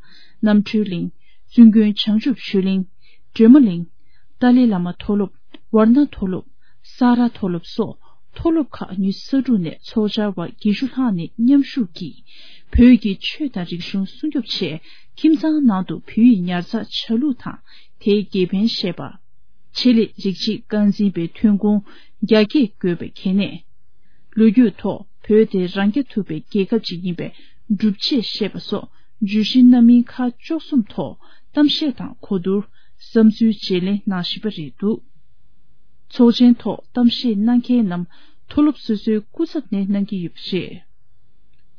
རྣམ་གྲོལ་གླིང་། བཙུན་དགོན་བྱང་ཆུབ་ཆོས་གླིང་། སྒྲོལ་མ་གླིང་། ཏཱ་ལའི་བླ་མ་མཐོ་སློབ། ཝར་ན་མཐོ་སློབ། ས་ར་མཐོ་སློབ་སོགས་མཐོ་སློབ་ཁག་ཉི་ཤུ་རྩ་དྲུག་ནས་ཚོགས་བཅར་བ་བརྒྱད་ཅུ་ལྷག་ནས་མཉམ་ཞུགས་ཀྱིས། བོད་ཀྱི་ཆོས་དང་རིག་གཞུང་སྲུང་སྐྱོབ་ཆེད་ཁྱིམ་ཚང་ནང་དུ་བོད་ཡིག་ཉར་ཚགས་བྱ་ལུགས་དང་། དེའི་དགེ་ཕན་བཤད་པ། ཆེད་ལས་རིགས་གཅིག་རྐང་འཛིན་པའི་ཐོན་ཁུངས་རྒྱ་སྐྱེད་དགོས་པའི་གལ་གནད། ལོ་རྒྱུས་ཐོག་བོད་དེ་རང་རྐྱ་ཐུབ་པའི་རྒྱལ་ཁབ་ཅིག་ཡིན་པའི་སྒྲུབ་བྱེད་བཤད་པ་སོགས་བརྗོད་གཞི་སྣ་མིན་ཁག་བཅུ་གསུམ་ཐོག་གཏམ་བཤད་དང་གོ་བསྡུར། བསམ་ཚུལ་བརྗེ་ལེན་གནང་བཞིན་པ་རེད་འདུག་ཚོགས་ཆེན་ཐོག་གཏམ་བཤད་གནང་མཁན་རྣམས་མཐོ་སློབ་སོ་སོའི་སྐུ་ཚབ་ནས་གནང་གི་ཡོད་པ་རེད།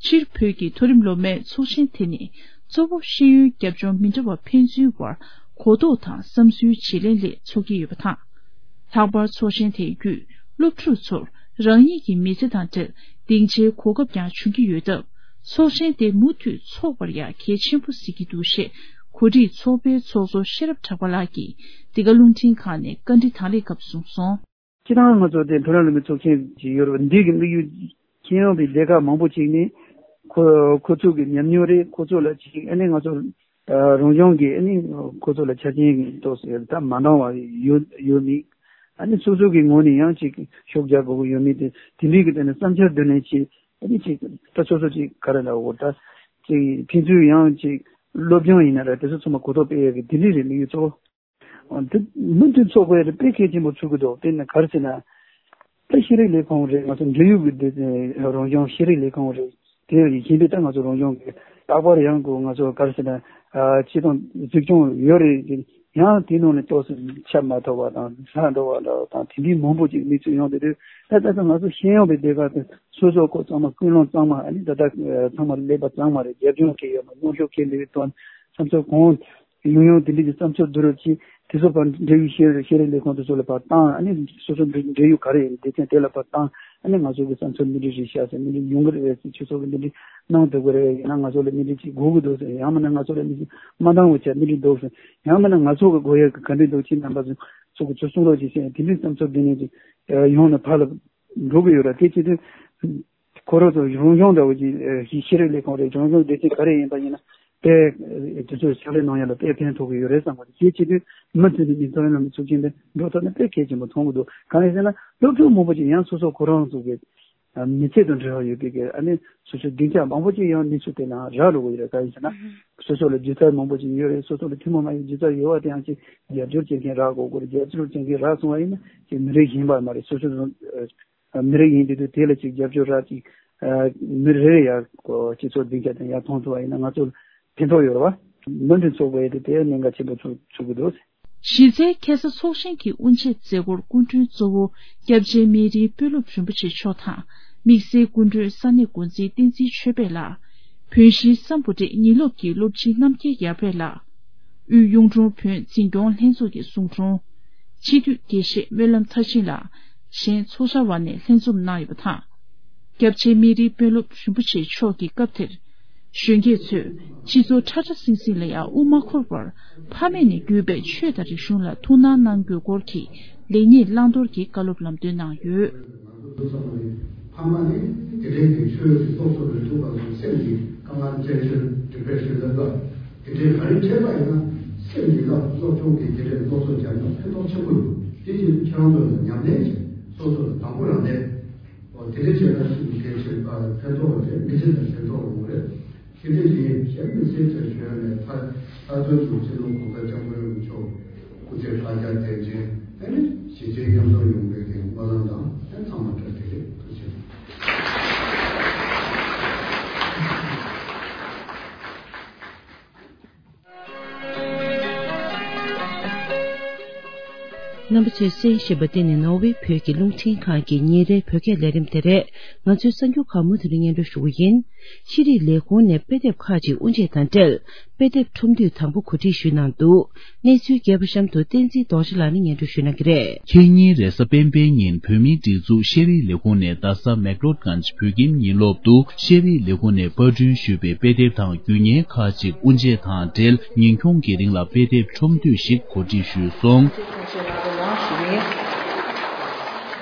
སྤྱིར་བོད་ཀྱི་མཐོ་རིམ་སློབ་མའི་ཚོགས་ཆེན་དེ་ནི་གཙོ་བོ་ཤེས་ཡོན་རྒྱབ་ལྗོངས་མི་འདྲ་བ་ཕན་ཚུན་བར་གོ་རྟོགས་དང་བསམ་ཚུལ་བརྗེ་ལེན་སླད་འཚོགས་ཀྱི་ཡོད་པ་དང་། ལྷག་པར་ཚོགས་ཆེན་དེའི་བརྒྱུད་སློབ་ཕྲུག་ཚོར་རང་ཉིད་ཀྱི་མི་ཚེ་དང་འབྲེལ་སྡིངས་ཆའི་གོ་སྐབས་ཀྱང་བྱུང་གི་ཡོད་སྟབས། ཚོགས་ཆེན་དེ་མུ་མཐུད་འཚོགས་པར་ཡང་གལ་ཆེན་པོ་གཟིགས་ཀྱི་འདུག་ཞེས་གོ་སྒྲིག་ཚོགས་པའི་ཚོགས་གཙོ་ཤེས་རབ་གྲགས་པ་ལགས་ཀྱིས་འདི་ག་རླུང་འཕྲིན་ཁང་ནས་བཀའ་འདྲི་དང་ལེན་སྐབས་གསུངས་སོང་། སྤྱིར་བཏང་ང་ཚོ་དེ་བོད་རང་ལུགས་མི་ཚོགས་ཆེན་ཞིག་ཡོད་རེད་པ། འདི་གི་དམིགས་ཡུལ་ཁྱོན་ཡོངས་པའི་སྡེ་ཁག་མང་པོ་ཅིག་ནས་ཁོ་ཁོ་ཚོ་གི་ཉམས་མྱོང་རེད། ཁོ་ཚོ་ལ་ཅིག་ཨ་ནི་ང་ཚོ་ཨ་རང་སྐྱོང་གི་ཨ་ནི་ཁོ་ཚོ་ལ་ཆ་རྐྱེན་གི་ཏོག་ཙམ་ད་མ་འདང་བ་ཡོད་ཡོད་མེད། ཨ་ནི་སོ་སོ་གི་ངོས་ནས་ཡང་ཅིག་ཤུགས་རྒྱག་དགོས་ཀྱི་ཡོད་མེད་དེ་དེ་འདྲའི་གི་ཐད་ནས་བསམ་འཆར་བསྡུ་ལེན་བྱེད། ཨ་ནི་ཅིག་ད་སོ་སོ་ཅིག་ག་རེ་ལབ་དགོས། ད་ཅིག་ཕན་ཚུན་ཡང་ཅིག་སློབ་སྦྱོང་ཡིན་ན་རེད། དེ་ཚོ་ཚང་མ་གོ་རྟོགས་སྤེལ་ཡག་གི་དེ་འདྲའི་རེད། དམིགས་ཡུལ་གཙོ་བོ། འདི་མུ་མཐུད་ཚོགས་དགོས་རེད། དཔེ་གལ་ཆེན་པོ་ཚུགས་ཀྱི་འདུག་དཔེར་ན་ག་རེ་ཟེར་ན། དཔེ་ཤེས་རིག་ལས་ཁུངས་རེད། ང་ཚོ་འབྲེལ་ཡོད་ཀྱི་འདི་རང་སྐྱོང་ཤེས་རིག་ལས་ཁུངས་རེད། དེ་ཡིན་པས་ད་ང་ཚོ་རང་སྐྱོང་གི་རྟག་པར་ཡང་གོ་ང་ཚོ་ག་རེ་ཟེར་ན། སྤྱི་དང་འཛུགས་སྐྱོང་ཡོད་རེད། ཡང་དེ་ནང་ནས་ཏོག་ཙམ་ཆད་མ་ཐུབ་པ་དང་ཆག་འགྲོ་བ་འདྲ་བ་དང་དེ་འདྲའི་མང་པོ་ཅིག་གནས་ཚུལ་ཡོང་བསྡད་དུས། ད་ད་ལྟ་ང་ཚོ་ཤེས་ཡོན་པའི་སྡེ་ཁག་དེ་སོ་སོ་ཁོ་ཚང་མ་ཀུན་སློང་གཙང་མ། ཨ་ནི་ད་ལྟ་ཚང་མ་ཀླད་པ་གཙང་མ་རེད། རྒྱབ་ལྗོངས་གལ་ཡོད་མ། རྣམ་དཔྱོད་གལ་ཡོད་དོན་བསམ་ཚུལ་གང་ཡོང་ཡོང་དེ་འདྲ་གི་བསམ་ཚུལ་བསྡུ་རུབ་ཀྱིས། དེ་ཚོ་ཕར་འབྲེལ་ཡོད་ཤེས་ཤེས་རིག་ལས་ཁུངས་དེ་ཚོ་ལ་ཕར་བཏང་། ཨ་ནི་སོ་སོ་འབྲེལ་ཡོད་ག་རེ་ཡིན་སྡེ་ཚན་དེ་ལ་ཕར་བཏང་། ཨ་ནི་ང་ཚོ་གི་བསམ་ཚུལ་འདི་འདྲ་རེད་ཤག་ཟེར། འདི་འདྲ་ཡོང་གི་རེད་ཟེར། ཁྱེད་ཚོ་གི་འདི་འདྲ་གནང་འདོད་ཀྱི་རེད། ཡིན་ན་ང་ཚོ་ལ་འདི་འདྲ་ཅིག་དགོས་ཀྱི་འདུག་ཟེར། ཡང་མིན་ན་ང་ཚོ་ལ་འདི་ཅིག་མ་འདང་བ་བྱས་འདི་འདྲ་འདུག་ཟེར། ཡང་མིན་ན་ང་ཚོ་གི་དགོས་ཡག་གི་ག་འདྲ་འདུག་ཁྱེད་རྣམ་པ་ཚོ་ཚོ་གི་ཚོ་གསུང་རོགས་ཅིག་ཟེར། དེ་འདྲའི་བསམ་ཚུལ་འདི་ནས་ཅིག་ཡོང་ནས་ཕར་ལ་འགྲོ་གི་ཡོད་ར། དེ་བྱེད་དུས་ཁོ་རང་ཚོ་རང་སྦྱོང་འདྲ་བོ་ཅིག་ཤེས་རིག་ལས་ཁུངས་རེད། རང་སྦྱོང་སྡེ་ཚན་ག་རེ་ཡིན་པ་ཡིན་ན་དེ་དེ་ཚོའི་ཕྱག་ལས་གནང་ཡ་ལ་དཔེ་ཕན་ཐོགས་ཀྱི་ཡོད་རེད་བསམ་གི་འདུག་དེ་བྱེད་དུས་མུ་མཐུད་ནས་མི་ཚང་ལ་མི་ཚུགས་ཀྱིན་དེ་འགྲོ་ཐུབ་ན་དཔེ་གལ་ཆེན་པོ་མཐོང་གི་འདུག་གང་ཡིན་ཟེར་ན་སློབ་ཕྲུག་མང་པོ་ཅིག་ཡང་སོ་སོ་ཁོ་རང་ཚོ་གི་མི་ཚེ་དང་འབྲེལ་བ་ཡོད་པའི་གི་ཨ་ནི་སོ་སོའི་སྡིངས་ཆ་མང་པོ་ཅིག་ཡང་གནས་ཚུལ་དེ་ལའང་རག་འགྲོ་གི་ཡོད་རེད། གང་ཡིན་ཟེར་ན་སོ་སོ་ལ་སྒྱུ་རྩལ་མང་པོ་ཅིག་ཡོད་རེད། སོ་སོ་ལ་ཐུན་མོང་མ་ཡིན་སྒྱུ་རྩལ་ཡོད་པ་དེ་ཡང་ཅིག་རྒྱབ་སྐྱོར་བྱེད་མཁན་རག་དགོས་ཀྱི་རེད། རྒྱབ་སྐྱོར་བྱེད་མཁན་རག་སོང་བ་ཡིན་ན་ཅིག་མི་རིགས་གཞན་པ་མ་རེད། སོ་སོ་མི་རིགས་ཡིན་དུས་དེ་ལ་ཅིག་རྒྱབ་སྐྱོར་རག་ཅིག་མི་རེ་རེ་ཡར་སྤྱི་ཚོགས་སྡིངས་ཆ་དེ་ཡར་མཐོང་ཐུབ་པ་ཡིན་ན་ང་ཚོ་ཕན་ཐོགས་ཡོད་རེད་བ། མུ་མཐུད་ཚོགས་པ་ཡིན་དུས་དེ་གནད་འགག་ཆེན་པོ་ཚུགས་ཚུགས་ཀྱི་འདུག་གཞི་རྩའི་ཁ་སང་ཚོགས་ཆེན་གྱི་དབུ་འབྱེད་མཛད་སྒོར་སྐུ་མགྲོན་གཙོ་བོ་སྐྱབས་རྗེ་སྨན་རིའི་དཔོན་སློབ་རིན་པོ་ཆེ་མཆོག་དང་དམིགས་བསལ་སྐུ་མགྲོན་ས་གནས་འགོ་འཛིན་བསྟན་འཛིན་ཆོས་འཕེལ་ལགས། བོན་གཞིས་སམ་བྷོ་ཊའི་ཉིན་སློབ་ཀྱི་སློབ་སྤྱི་རྣམ་རྒྱལ་ཡར་འཕེལ་ལགས། དབུས་གཡུང་དྲུང་བོན་འཛིན་སྐྱོང་ལྷན་ཚོགས་ཀྱི་ཟུང་དྲུང་། སྤྱི་འཐུས་དགེ་བཤེས་སྨོན་ལམ་མཐར་ཕྱིན་ལགས། གཞན་ཚོགས་བཅར་བ་ནས་ལྷན་འཛོམས་གནང་ཡོད་པ་དང་། སྐྱབས་རྗེ་སྨན་རིའི་དཔོན་སློབ་རིན་པོ་ཆེ་མཆོག་གིས་སྐབས་དེར། གཞོན་སྐྱེས་ཚོས་སྤྱི་ཚོགས་ཁྲ་ཁྲ་སིང་སིང་ལ་ཡང་དབུ་མ་འཁོར་བར་ཕ་མེས་ནས་བརྒྱུད་པའི་ཆོས་དང་རིག་གཞུང་ལ་ཐུགས་སྣང་གནང་དགོས་སྐོར་གྱི་ལེགས་ཉེས་བླང་དོར་གྱི་བཀའ་སློབ་ལམ་སྟོན་གནང་ཡོད། ང་ཚོ་ཚང་མ་ནི་ཕ་མ་ནི་དེ་འདྲའི་གི་ཆོས་ཀྱི་སློབ་གསོ་ལ་ཐུག་པ་ཚོ་སེམས་ཀྱི་དཀའ་ངལ་སྐྱེ་ཆོས་ཌི་པི་རེ་ཤན་ལ་ལ་དེ་འདྲའི་ག་རེ་འཕྲད་པ་ཡིན་ན་སེམས་ཀྱི་ལ་སློབ་སྦྱོང་གི་དེ་འདྲའི་སློབ་གསོ་སྦྱང་ན་ཕན་ཐོགས་ཆེན་པོ་ཡོད། དེ་བཞིན་ཁྱེད་རང་ཚོ་ལ་ཉམས་ལེན་བྱེད་སོ་སོ་ལ་དང་པོ་རང་ལས་འོ་དེ་འདྲ་བྱས་ན་སུ་གལ་ཆེ་ཕན་ཐོགས་པ་དེ་མི་ཚེ་ལ་ཕན་ཐོགས་ཡོང་གི་རེད། དེ་འདྲ་ཡིན་གཞན་མི་སེར་ཚོས་བྱོན་ནས་ད་ད་དུང་དུ་སྤྱི་ནོར་གོང་ས་སྐྱབས་མགོན་རིན་པོ་ཆེ་སྐུ་ཚེ་ལྷ་བརྒྱ་བརྟན་ཅིང་ཨ་ནི་ཞི་བདེ་མཉམ་གསོ་ཡོང་བའི་གི་སྨོན་ལམ་དང་ཨ་ཚང་མ་བཀྲ་ཤིས་བདེ་ལེགས། ཐུགས་རྗེ་ཆེ། རྣམ་པ་ཚོས་གསན་བཞིན་པ་འདི་ནི་ནོར་ཝེ་བོད་ཀྱི་རླུང་འཕྲིན་ཁང་གི་ཉིན་རེའི་བོད་སྐད་ལས་རིམ་དེ་རེད། ང་ཚོའི་གསར་འགྱུར་ཁག་མུ་མཐུད་ནས་སྙན་སྒྲོན་ཞུ་གི་ཡིན། ཤེས་རིག་ལས་ཁུངས་ནས་དཔེ་དེབ་ཁག་ཅིག་དབུ་འབྱེད་དང་འབྲེལ་དཔེ་དེབ་ཁྲོམ་འདུས་དང་པོ་གོ་སྒྲིག་ཞུས་གནང་འདུག་གནས་ཚུལ་རྒྱས་པ་གཤམ་དུ་བསྟན་འཛིན་རྡོ་རྗེ་ལགས་ནས་སྙན་སྒྲོན་ཞུ་གནང་གི་རེད། ཁེ་ཉིན་རེས་གཟའ་སྤེན་པའི་ཉིན་བོད་མིའི་སྒྲིག་འཛུགས་ཤེས་རིག་ལས་ཁུངས་ནས་རྡ་ས་མེག་ལོད་གྷན་བོད་ཁྱིམ་ཉིན་སློབ་ཏུ་ཤེས་རིག་ལས་ཁུངས་ནས་པར་སྐྲུན་ཞུས་པའི་དཔེ་དེབ་དང་རྒྱུ་བརྙན་ཁག་ཅིག་དབུ་འབྱེད་དང་འབྲེལ་ཉིན་ཁྱོང་གི་རིང་ལ་དཔེ་དེབ་ཁྲོམ་འདུས་ཤིག་གོ་སྒྲིག་ཞུས་སོང་།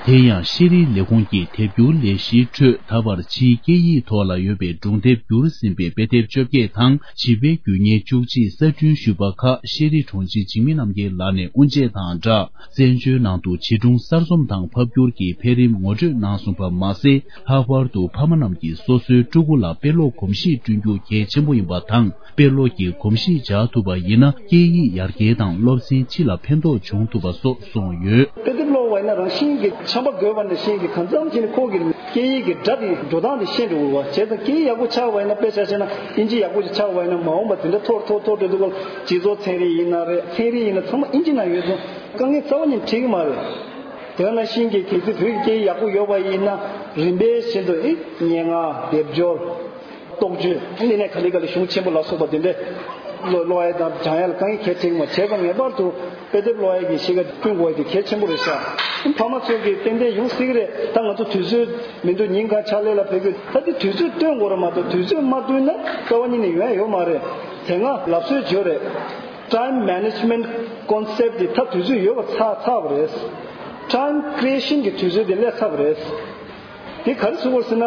དེ་ཡང་ཤེས་རིག་ལས་ཁུངས་ཀྱི་དེབ་སྒྱུར་ལས་གཞིའི་ཁྲོད་ད་བར་ཕྱིའི་སྐད་ཡིག་ཐོག་ལ་ཡོད་པའི་སྒྲུང་དེབ་བསྒྱུར་ཟིན་པའི་དཔེ་དེབ་བཅོ་བརྒྱད་དང་བྱིས་པའི་རྒྱུ་བརྙན་བཅུ་གཅིག་གསར་སྐྲུན་ཞུས་པ་ཁག་ཤེས་རིག་དྲུང་ཆེ་འཇིགས་མེད་རྣམ་རྒྱལ་ལགས་ནས་དབུ་འབྱེད་དང་སྦྲགས། བཙན་བྱོལ་ནང་དུ་བྱིས་སྒྲུང་གསར་རྩོམ་དང་ཕབ་བསྒྱུར་གྱི་འཕེལ་རིམ་ངོ་སྤྲོད་གནང་སོང་བ་མ་ཟད། ལྷག་པར་དུ་ཕ་མ་རྣམས་ཀྱིས་སོ་སོའི་ཕྲུ་གུ་ལ་དཔེ་ཀློག་གོམས་གཤིས་བསྐྲུན་རྒྱུ་གལ་ཆེན་པོ་ཡིན་པ་དང་། དཔེ་ཀློག་གི་གོམས་གཤིས་འཇགས་ཐུབ་པ་ཡིན་ན། སྐད་ཡིག་ཡར་རྒྱས་དང་སློབ་ཚན་སྤྱི་ལ་ཕན་ཐོགས་འབྱུང་ཐུབ་པ་སོགས་གསུངས་ཡོད། དཔེ་དེབ་ཀློག་པ་ཡིན་ན་རང་བཞིན་གྱི་ཆམ་པ་འགོས་པ་ནང་བཞིན་གྱི་གང་འཚམ་ཅིག་ནས་ཁོ་གི་སྐད་ཡིག་གི་སྒྲ་དེ་འགྲོ་སྟངས་དེ་ཤེས་འགྲོ་གི་རེད་བ། བྱས་ཙང་སྐད་ཡིག་ཡག་པོ་ཆགས་པ་ཡིན་ན། དཔེ་ཆ་བཤད་ན་ཨིན་ཇི་ཡག་པོ་ཞིག་ཆགས་པ་ཡིན་ན། མ་འོངས་པ་དེ་འདྲ་མཐོ་རུ་མཐོ་རུ་མཐོ་རུ་འགྲོ་དུས་སྐབས་སྤྱི་ཚོགས་ཚན་རིག་ཡིན་ན་རེད། ཚན་རིག་ཡིན་ན་ཚང་མ་ཨིན་ཇི་ནང་ཡོད་ཙང་དཀའ་ངལ་རྩ་བ་ཉིད་འཕྲད་ཀྱི་མ་རེད། དེ་ནང་བཞིན་གྱི་གལ་སྲིད་བོད་ཀྱི་སྐད་ཡིག་ཡག་པོ་ཡོད་པ་ཡིན་ན་རིམ་པས་བཞིན་དུ་ཨེ་སྙན་ངག་སྡེབ་སྦྱོར། རྟོགས་བརྗོད་འདི་ནས་ག་ལེ་ག་ལེ་གཞུང་ཆེན་པོ་ལ་སོགས་པ་དེ་འདྲས་ཀློག་ཀློག་ཡ་དང་སྦྱང་ཡ་ལ་དཀའ་ངལ་གལ་ཆེ་གི་མ། བྱས་ཙང་ངེས་པར་དུ་དཔེ་དེབ་ཀློག་ཡ་གི་གཤིས་ཀ་བསྐྲུན་དགོས་ཡ་དེ་གལ་ཆེན་པོ་རེད་ཤག་ཕ་མ་ཚོས་ཀྱི་ཏན་ཏན་ཡོང་སྲིད་ཀྱི་རེད། ད་ང་ཚོ་དུས་ཚོད་མི་འདུག་ཉིན་གང་ཕྱག་ལས་ལ་ཕེབས་ཀྱི། ད་དེ་དུས་ཚོད་བཏོན་དགོས་རེད་མ་གཏོགས་དུས་ཚོད་མ་བཏོན་ན་རྩ་བ་ཉིད་ནས་ཡོང་ཡ་ཡོད་མ་རེད། དེ་སྔ་ལབ་སྲོལ་བརྗོད་རེད། Time management concept དེ་ད་དུས་ཚོད་ཡོད་པ་ཚར་ཚར་བ་རེད། Time creation གི་དུས་ཚོད་དེ་སླེབས་ཚར་བ་རེད། དེ་ག་རེ་ཟེར་དགོས་ཟེར་ན།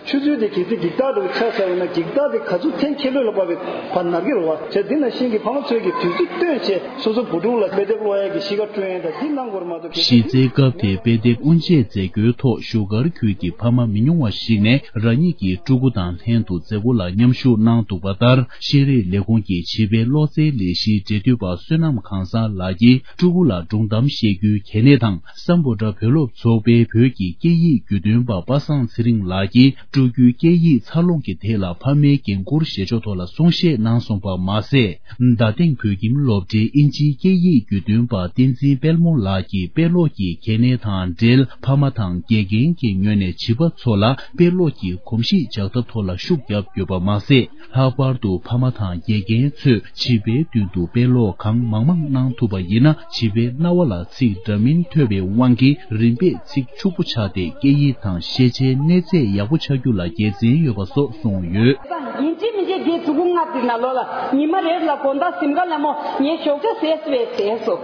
ཆུ་ཚོད་དེ་གལ་སྲིད་འགྱིག་རྟགས་འདྲ་བོ་ཆགས་ཚར་བ་ན། འགྱིག་རྟགས་དེ་ག་ཚོད་འཐེན་འཁྱེར་ལོས་ལ་བབས་པའི་བར་ནར་གི་རེད་བ། བྱས་འདི་ནང་བཞིན་གྱི་ཕ་མ་ཚོས་ཀྱི་དུས་ཚོད་བཏོན་བྱས་སོ་སོ་བུ་ཕྲུག་ལ་དཔེ་དེབ་ཀློག་ཡ་གི་གཤིས་ཀ་བསྐྲུན་ཡ་དང་འདི་གནང་དགོས་རེད་མ་གཏོགས། གལ་སྲིད་གཞི་རྩའི་སྐབས་དེའི་དཔེ་དེབ་དབུ་འབྱེད་མཛད་སྒོའི་ཐོག་བཞུགས་སྒར་ཁུལ་གྱི་ཕ་མ་མི་ཉུང་བ་ཞིག་ནས་རང་ཉིད་ཀྱི་ཕྲུ་གུ་དང་ལྷན་དུ་མཛད་སྒོ་ལ་མཉམ་ཞུགས་གནང་འདུག་པ་ལྟར། ཤེས་རིག་ལས་ཁུངས་ཀྱི་བྱིས་པའི་བློ་རྩེའི་ལས་གཞིའི་འབྲེལ་མཐུད་པ་བསོད་ནམས་གང་ཟག་ལགས་ཀྱིས་ཕྲུ་གུ་ལ་སྒྲུང་གཏམ་བཤད་རྒྱུའི་གལ་གནད་དང་། སམ་བྷོ་ཊ་བོད་སློབ་ཚོགས་པའི་བོད་ཀྱི་སྐད་ཡིག་བརྒྱུད་སྟོན་པ་པ་སངས་ཚེ་རིང་ལགས་ཀྱིས་ སྤྲོ་རྒྱུའི་སྐད་ཡིག་འཚར་ལོངས་ཀྱི་ཐད་ལ་ཕ་མའི་འགན་འཁུར་བཞེས་ཕྱོགས་ཐོག་ལ་གསུང་བཤད་གནང་སོང་པ་མ་ཟད། རྡ་སྟེང་བོད་ཁྱིམ་སློབ་གྲྭའི་ཨིན་ཇིའི་སྐད་ཡིག་བརྒྱུད་འདོན་པ་བསྟན་འཛིན་དཔལ་མོ་ལགས་ཀྱིས་དཔེ་ཀློག་གི་གལ་གནད་དང་འབྲེལ། ཕ་མ་དང་དགེ་རྒན་གྱི་ངོས་ནས་བྱིས་པ་ཚོ་ལ་དཔེ་ཀློག་གི་གོམས་གཤིས་འཇགས་ཐབས་ཐོག་ལ་ཤུགས་བརྒྱབ་ཡོད་པ་མ་ཟད། ལྷག་པར་དུ་ཕ་མ་དང་དགེ་རྒན་ཚོས་བྱིས་པའི་མདུན་དུ་དཔེ་ཀློག་གང་མང་མང་གནང་ཐུབ་པ་ཡིན་ན། བྱིས་པའི་རྣ་བ་ལ་ཚིག་འདྲ་མིན་ཐོས་པའི་དབང་གིས་རིམ་པས་ཚིག་ཕྱུག་པོ་ཆགས་ཏེ། སྐད་ཡིག་དང་ཤེས་བྱའི་གནས་ཚད་ཡག་པོ་ཆགས་རྒྱུ་ལ་དགེ་མཚན་ཡོད་པ་སོགས་གསུངས་ཡོད། ཡིན་གཅིག་མིན་གཅིག་དེ་ཕྲུ་གུ་ལྔ་དེ་ནང་ལོགས་ལ་ཉི་མ་རེ་ལ་དགོང་དག་གཟིམ་ཁ་ལ་མོ་ངས་ཞོགས་ཇ་ཟས་སུ་བས་ཟས་སོ།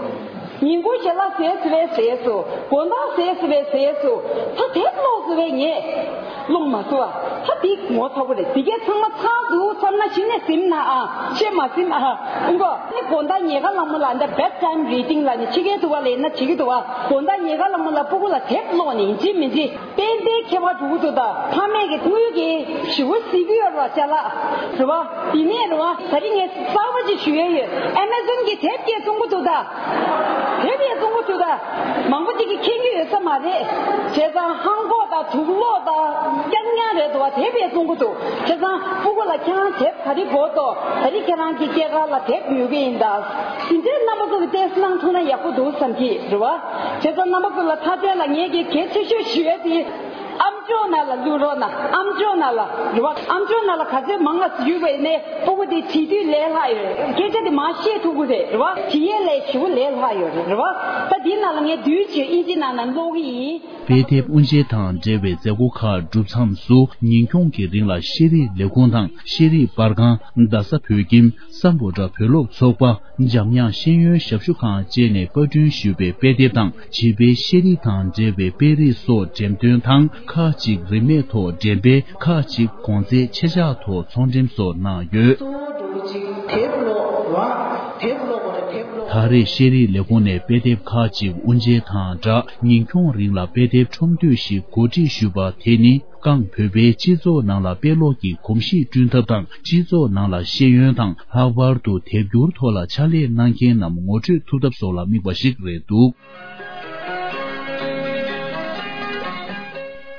ཉིན་གུང་ཞལ་ལག་ཟས་སུ་བས་ཟས་སོ། དགོང་དག་ཟས་སུ་བས་ཟས་སོ། ད་དེབ་ཀློག་སུ་བས་ངས་ཀློག་མ་སོ་ཨ། ད་དེ་ངོ་ཚ་པོ་རེད། དེ་གས་ཚང་མ་ཚང་འདུག་བསམ་ན་གཞི་ནས་གཟིམ་ན་ཨ། ཤེས་མ་གཟིམ་ཨ། ཨུང་གོ་ནི་དགོང་དག་ཉལ་ཁ་ལ་མོ་ལ་འདི་bedtime reading ལ་ནི་ཕྱི་རྒྱལ་དུ་བ་ལས་ན་བྱེད་ཀྱི་འདུག་བ། དགོང་དག་ཉལ་ཁ་ལ་མོ་ལ་སྤུ་གུ་ལ་དེབ་ཀློག་ནི་ཡིན་གཅིག་མིན་གཅིག་དཔལ་ལྡན་ཁྱད་པར་འགྲོ་གི་འདུག་ད་ཕ་མས་ཀྱི་དངུལ་གྱི་ཞི་བོ་སྲིད་ཀྱི་ཡོད་ར་ཅ་ལག་རེད་བ། དེ་ནས་རེད་བ། ད་རིང་ངས་གསར་པ་ཅིག་ཞུ་ཡས་ཡོད། Amazon གྱི་དེབ་སྐྱེལ་གཏོང་གི་འདུག་ད། དེབ་ཡས་གཏོང་གི་འདུག་ད། མང་པོ་ཅིག་གིས་མཁྱེན་གྱི་ཡོད་ས་མ་རེད། བྱས་ཙང་ཧང་གོ་དང་དུག་ལོག་དང་རྐྱང་རྐྱང་རེད་འདུག་བ། དེབ་ཡས་གཏོང་གི་འདུག་བྱས་ཙང་སྤུ་གུ་ལ་ཁྱེད་རང་དེབ་ག་རེ་དགོས་འདུག་ག་རེ་ཁྱེད་རང་གི་སྐྱེས་སྐར་ལ་དེབ་ཉོ་གི་ཡིན་ད། དེ་འདྲའི་རྣམ་པ་ཚོ་གི་ཏེས་གནང་ཐུབ་ན་ཡག་པོ་འདུག་བསམ་གྱི་རེད་བ། བྱས་ཙང་རྣམ་པ་ཚོ་ལ་མཐའ་དོན་ལ་ངས་ཀྱི་གལ་ཆེ་ཤོས་ཞུ་ཡས་དེ། ཨམ་ཅོག་ནང་ལ་བླུག་རོགས་གནང་། ཨམ་ཅོག་ནང་ལ་རེད་བ། ཨམ་ཅོག་ནང་ལ་ག་ཚོད་མང་ང་ཞུས་པ་ཡིན་ནའི་སྤུ་གུ་དེ་བྲིས་དུས་ལས་སླ་ཡོད་རེད། སྐད་ཆ་དེ་མང་བཤད་ཐུབ་ཀྱི་རེད་རེད་བ། བྲིས་ཡས་ལས་ཞེ་པོ་ལས་སླ་ཡོད་རེད་རེད་བ། ད་དེའི་ནང་ལ་ངས་བསྡུས་བྱས་ཨིན་ཇི་ནང་ན་ཀློག་གི་ཡིན། དཔེ་དེབ་དབུ་འབྱེད་དང་འབྲེལ་བའི་མཛད་སྒོ་ཁག་གྲུབ་མཚམས་སུ། ཉིན་འཁྱོངས་ཀྱི་རིང་ལ་ཤེས་རིག་ལས་ཁུངས་དང་ཤེས་རིག་པར་ཁང་། རྡ་ས་བོད་ཁྱིམ། སམ་བྷོ་ཊ་བོད་སློབ་ཚོགས་པ། འཇམ་དབྱངས་ཤེས་ཡོན་ཞབས་ཞུ་ཁང་བཅས་ནས་པར་སྐྲུན་ཞུས་པའི་དཔེ་དེབ་དང་། བྱིས་པའི་ཤེས་རིག་དང་འབྲེལ་བའི་དཔེ་རིས་སོགས་འགྲེམས་སྟོན་དང་། ཁག་ཅིག་རིན་མེད་ཐོག་འགྲེམས་སྤེལ། ཁག་ཅིག་གོང་ཚད་ཆེ་ཆག་ཐོག་ཚོང་འགྲེམས་སོགས་གནང་ཡོད། གཙོ་བོ་འགྲོ་ཅིག་དེབ་ཀློག་ར། དེབ་ཀློག་པ་ར། དེབ་ཀློག་ད་རེས་ཤེས་རིག་ལས་ཁུངས་ནས་དཔེ་དེབ་ཁག་ཅིག་དབུ་འབྱེད་དང་སྦྲགས། ཉིན་འཁྱོངས་རིང་ལ་དཔེ་དེབ་ཁྲོམ་སྡོད་ཞིག་གོ་སྒྲིག་ཞུས་པ་དེ་ནི། རྐང་བོད་པའི་སྤྱི་ཚོགས་ནང་ལ་དཔེ་ཀློག་གི་གོམས་གཤིས་བསྐྲུན་ཐབས་དང་། སྤྱི་ཚོགས་ནང་ལ་ཤེས་ཡོན་དང་། ལྷག་པར་དུ་དེབ་སྒྱུར་ཐོག་ལ་ཕྱག་ལས་གནང་མཁན་རྣམས་ངོ་སྤྲོད་ཐུབ་ཐབས་སོགས་ལ་དམིགས་པ་ཞིག་རེད་འདུག།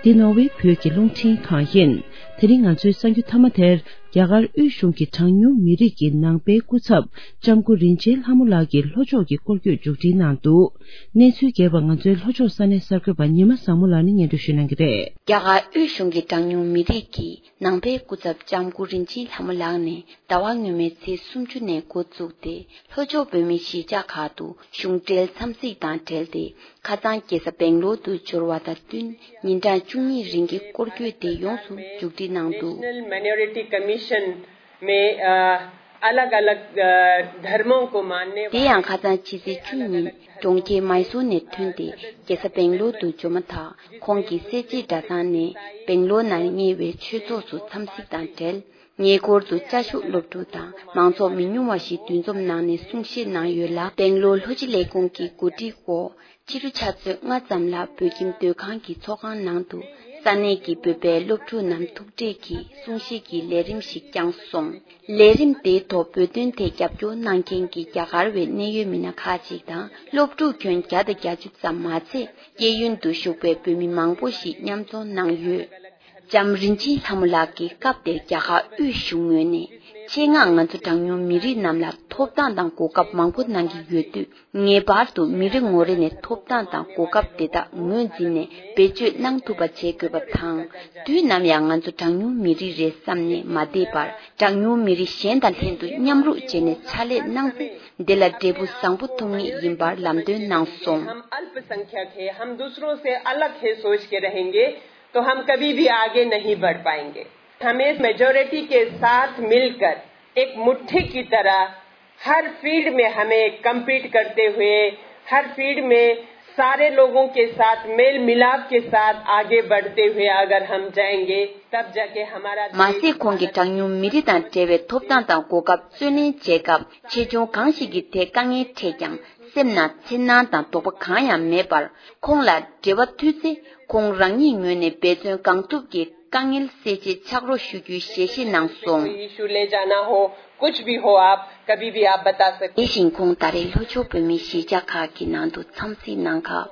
འདི་ནོར་ཝེ་བོད་ཀྱི་རླུང་འཕྲིན་ཁང་ཡིན། དེ་རིང་ང་ཚོའི་གསར་འགྱུར་མཐའ་མ་དེར། རྒྱ་གར་དབུས་གཞུང་གི་གྲངས་ཉུང་མི་རིགས་ཀྱི་ནང་པའི་སྐུ་ཚབ། ལྕམ་སྐུ་རིན་ཆེན་ལྷ་མོ་ལགས་ཀྱིས་ལྷོ་ཕྱོགས་ཀྱི་སྐོར་སྐྱོད་མཇུག་སྒྲིལ་གནང་འདུག། གནས་ཚུལ་རྒྱས་པ་ང་ཚོའི་ལྷོ་ཕྱོགས་ས་གནས་གསར་འགོད་པ་ཉི་མ་བཟང་མོ་ལགས་ནས་སྙན་སྒྲོན་ཞུ་གནང་གི་རེད། རྒྱ་གར་དབུས་གཞུང་གི་གྲངས་ཉུང་མི་རིགས་ཀྱི་ནང་པའི་སྐུ་ཚབ་ལྕམ་སྐུ་རིན་ཆེན་ལྷ་མོ་ལགས་ནས་ཟླ་བ་སྔོན་མའི་ཚེས་སུམ་ཅུ་ནས་འགོ་བཙུགས་ཏེ། ལྷོ་ཕྱོགས་བོད་མིའི་གཞིས་ཆགས་ཁག་ཏུ་གཞུང་འབྲེལ་འཚམས་གཟིགས་དང་འབྲེལ་ཏེ། ཁ་སང་རྒྱལ་ས་སྦེང་ལོར་དུ་འབྱོར་བ་དང་བསྟུན། ཉིན་གྲངས་བཅུ་གཉིས་རིང་གི་སྐོར་སྐྱོད་དེ་ཡོངས་སུ་མཇུག་སྒྲིལ་གནང་འདུག། national minority commission में अलग अलग धर्मों को मानने དེ་ཡང་ཁ་སང་ཕྱི་ཚེས་བཅུ་ཉིན་གྲོང་ཁྱེར་མཱི་སོར་ནས་ཐོན་ཏེ་རྒྱལ་ས་སྦེང་ལོར་དུ་འབྱོར་མ་ཐག་ཁོང་གིས་སེར་བྱེས་གྲྭ་ཚང་ནས་སྦེང་ལོར་ནང་གཉེར་བའི་ཆོས་ཚོགས་སུ་འཚམས་གཟིགས་དང་འབྲེལ། ཉེ་འཁོར་དུ་བཅའ་བཞུགས་སློབ་ཕྲུག་དང་མང་ཚོགས་མི་ཉུང་བ་ཞིག་འདུ་འཛོམས་གནང་ནས་གསུང་བཤད་གནང་ཡོད་ལ། སྦེང་ལོར་ལྷོ་སྤྱི་ལས་ཁུངས་ཀྱི་གོ་སྒྲིག་འོག་ཕྱི་དྲོ་ཆུ་ཚོད་ལྔ་ཙམ་ལ་བོད་ཁྱིམ་སྡོད་ཁང་གི་ཚོགས་ཁང་ནང་དུ་ས་གནས་ཀྱི་བོད་པའི་སློབ་ཕྲུག་རྣམས་ཐུག་འཕྲད་ཀྱིས་གསུང་བཤད་ཀྱི་ལས་རིམ་ཞིག་བསྐྱངས་སོང་། ལས་རིམ་དེའི་ཐོག་བོད་དོན་ཐད་རྒྱབ་སྐྱོར་གནང་མཁན་གྱི་རྒྱ་གར་བའི་གནད་ཡོད་མི་སྣ་ཁག་ཅིག་དང་། སློབ་ཕྲུག་ཁྱོན་བརྒྱ་དང་བརྒྱད་ཅུ་ཙམ་མ་ཚད། སྐྱེས་ཡུལ་དུ་བཞུགས་པའི་བོད་མི་མང་པོ་ཞིག་མཉམ་འཛོམས་གནང་ཡོད། ལྕམ་རིན་ཆེན་ལྷ་མོ་ལགས་ཀྱིས་སྐབས་དེར་རྒྱ་གར་དབུས་གཞུང་ངོས་ནས། ཆེད་མངགས་ང་ཚོ་གྲངས་ཉུང་མི་རིགས་རྣམས་ལ་ཐོབ་ཐང་དང་གོ་སྐབས་མང་པོ་གནང་གི་ཡོད་དུས། ངེས་པར་དུ་མི་རེ་ངོ་རེ་ནས་ཐོབ་ཐང་དང་གོ་སྐབས་དེ་དག་ངོས་འཛིན་ནས་བེད་སྤྱོད་གནང་ཐུབ་པ་བྱེད་དགོས་པ་དང་། དུས་ནམ་ཡང་ང་ཚོ་གྲངས་ཉུང་མི་རིགས་རེད་བསམ་ནས་མ་བསྡད་པར། གྲངས་ཉུང་མི་རིགས་གཞན་དང་ལྷན་དུ་མཉམ་རུབ་བྱས་ནས་ཕྱག་ལས་གནང་ཚེ། འདི་ལ་འབྲས་བུ་བཟང་པོ་ཐོབ་ངེས་ཡིན་པར་ལམ་སྟོན་གནང་སོང་། हम अल्पसंख्यक है, हम दूसरों से अलग है सोच के रहेंगे, तो हम कभी भी आगे नहीं बढ़ पाएंगे। हमें मेजॉरिटी के साथ मिलकर एक मुट्ठी की तरह हर फील्ड में हमें कम्पीट करते हुए, हर फील्ड में सारे लोगों के साथ मेल मिलाप के साथ आगे बढ़ते हुए अगर हम जाएंगे, तब जाके हमारा མ་ཟད་ཁོང་གིས་གྲངས་ཉུང་མི་རིགས་དང་འབྲེལ་བའི་ཐོབ་ཐང་དང་གོ་སྐབས་རྩོད་ལེན་བྱེད་སྐབས། ཆེ་ཆུང་གང་ཞིག་གི་ཐད་དཀའ་ངལ་འཕྲད་ཀྱང་། སེམས་ནང་འཚེར་སྣང་དང་དོགས་པ་གང་ཡང་མེད་པར། ཁོང་ལ་འབྲེལ་བ་མཐུད་ཚེ། ཁོང་རང་ཉིད་ངོས་ནས་འབད་བརྩོན་གང་ཐུབ་ཀྱིས་དཀའ་ངལ་སེལ་ཆེད་ཕྱག་རོགས་ཞུ་རྒྱུའི་ཞལ་བཞེས་གནང་སོང་། कोई इशू ले जाना हो, कुछ भी हो, आप कभी भी आप बता सकते हैं། དེ་བཞིན་ཁོང་ད་རེས་ལྷོ་ཕྱོགས་བོད་མིའི་གཞིས་ཆགས་ཁག་གི་ནང་དུ་འཚམས་གཟིགས་གནང་སྐབས།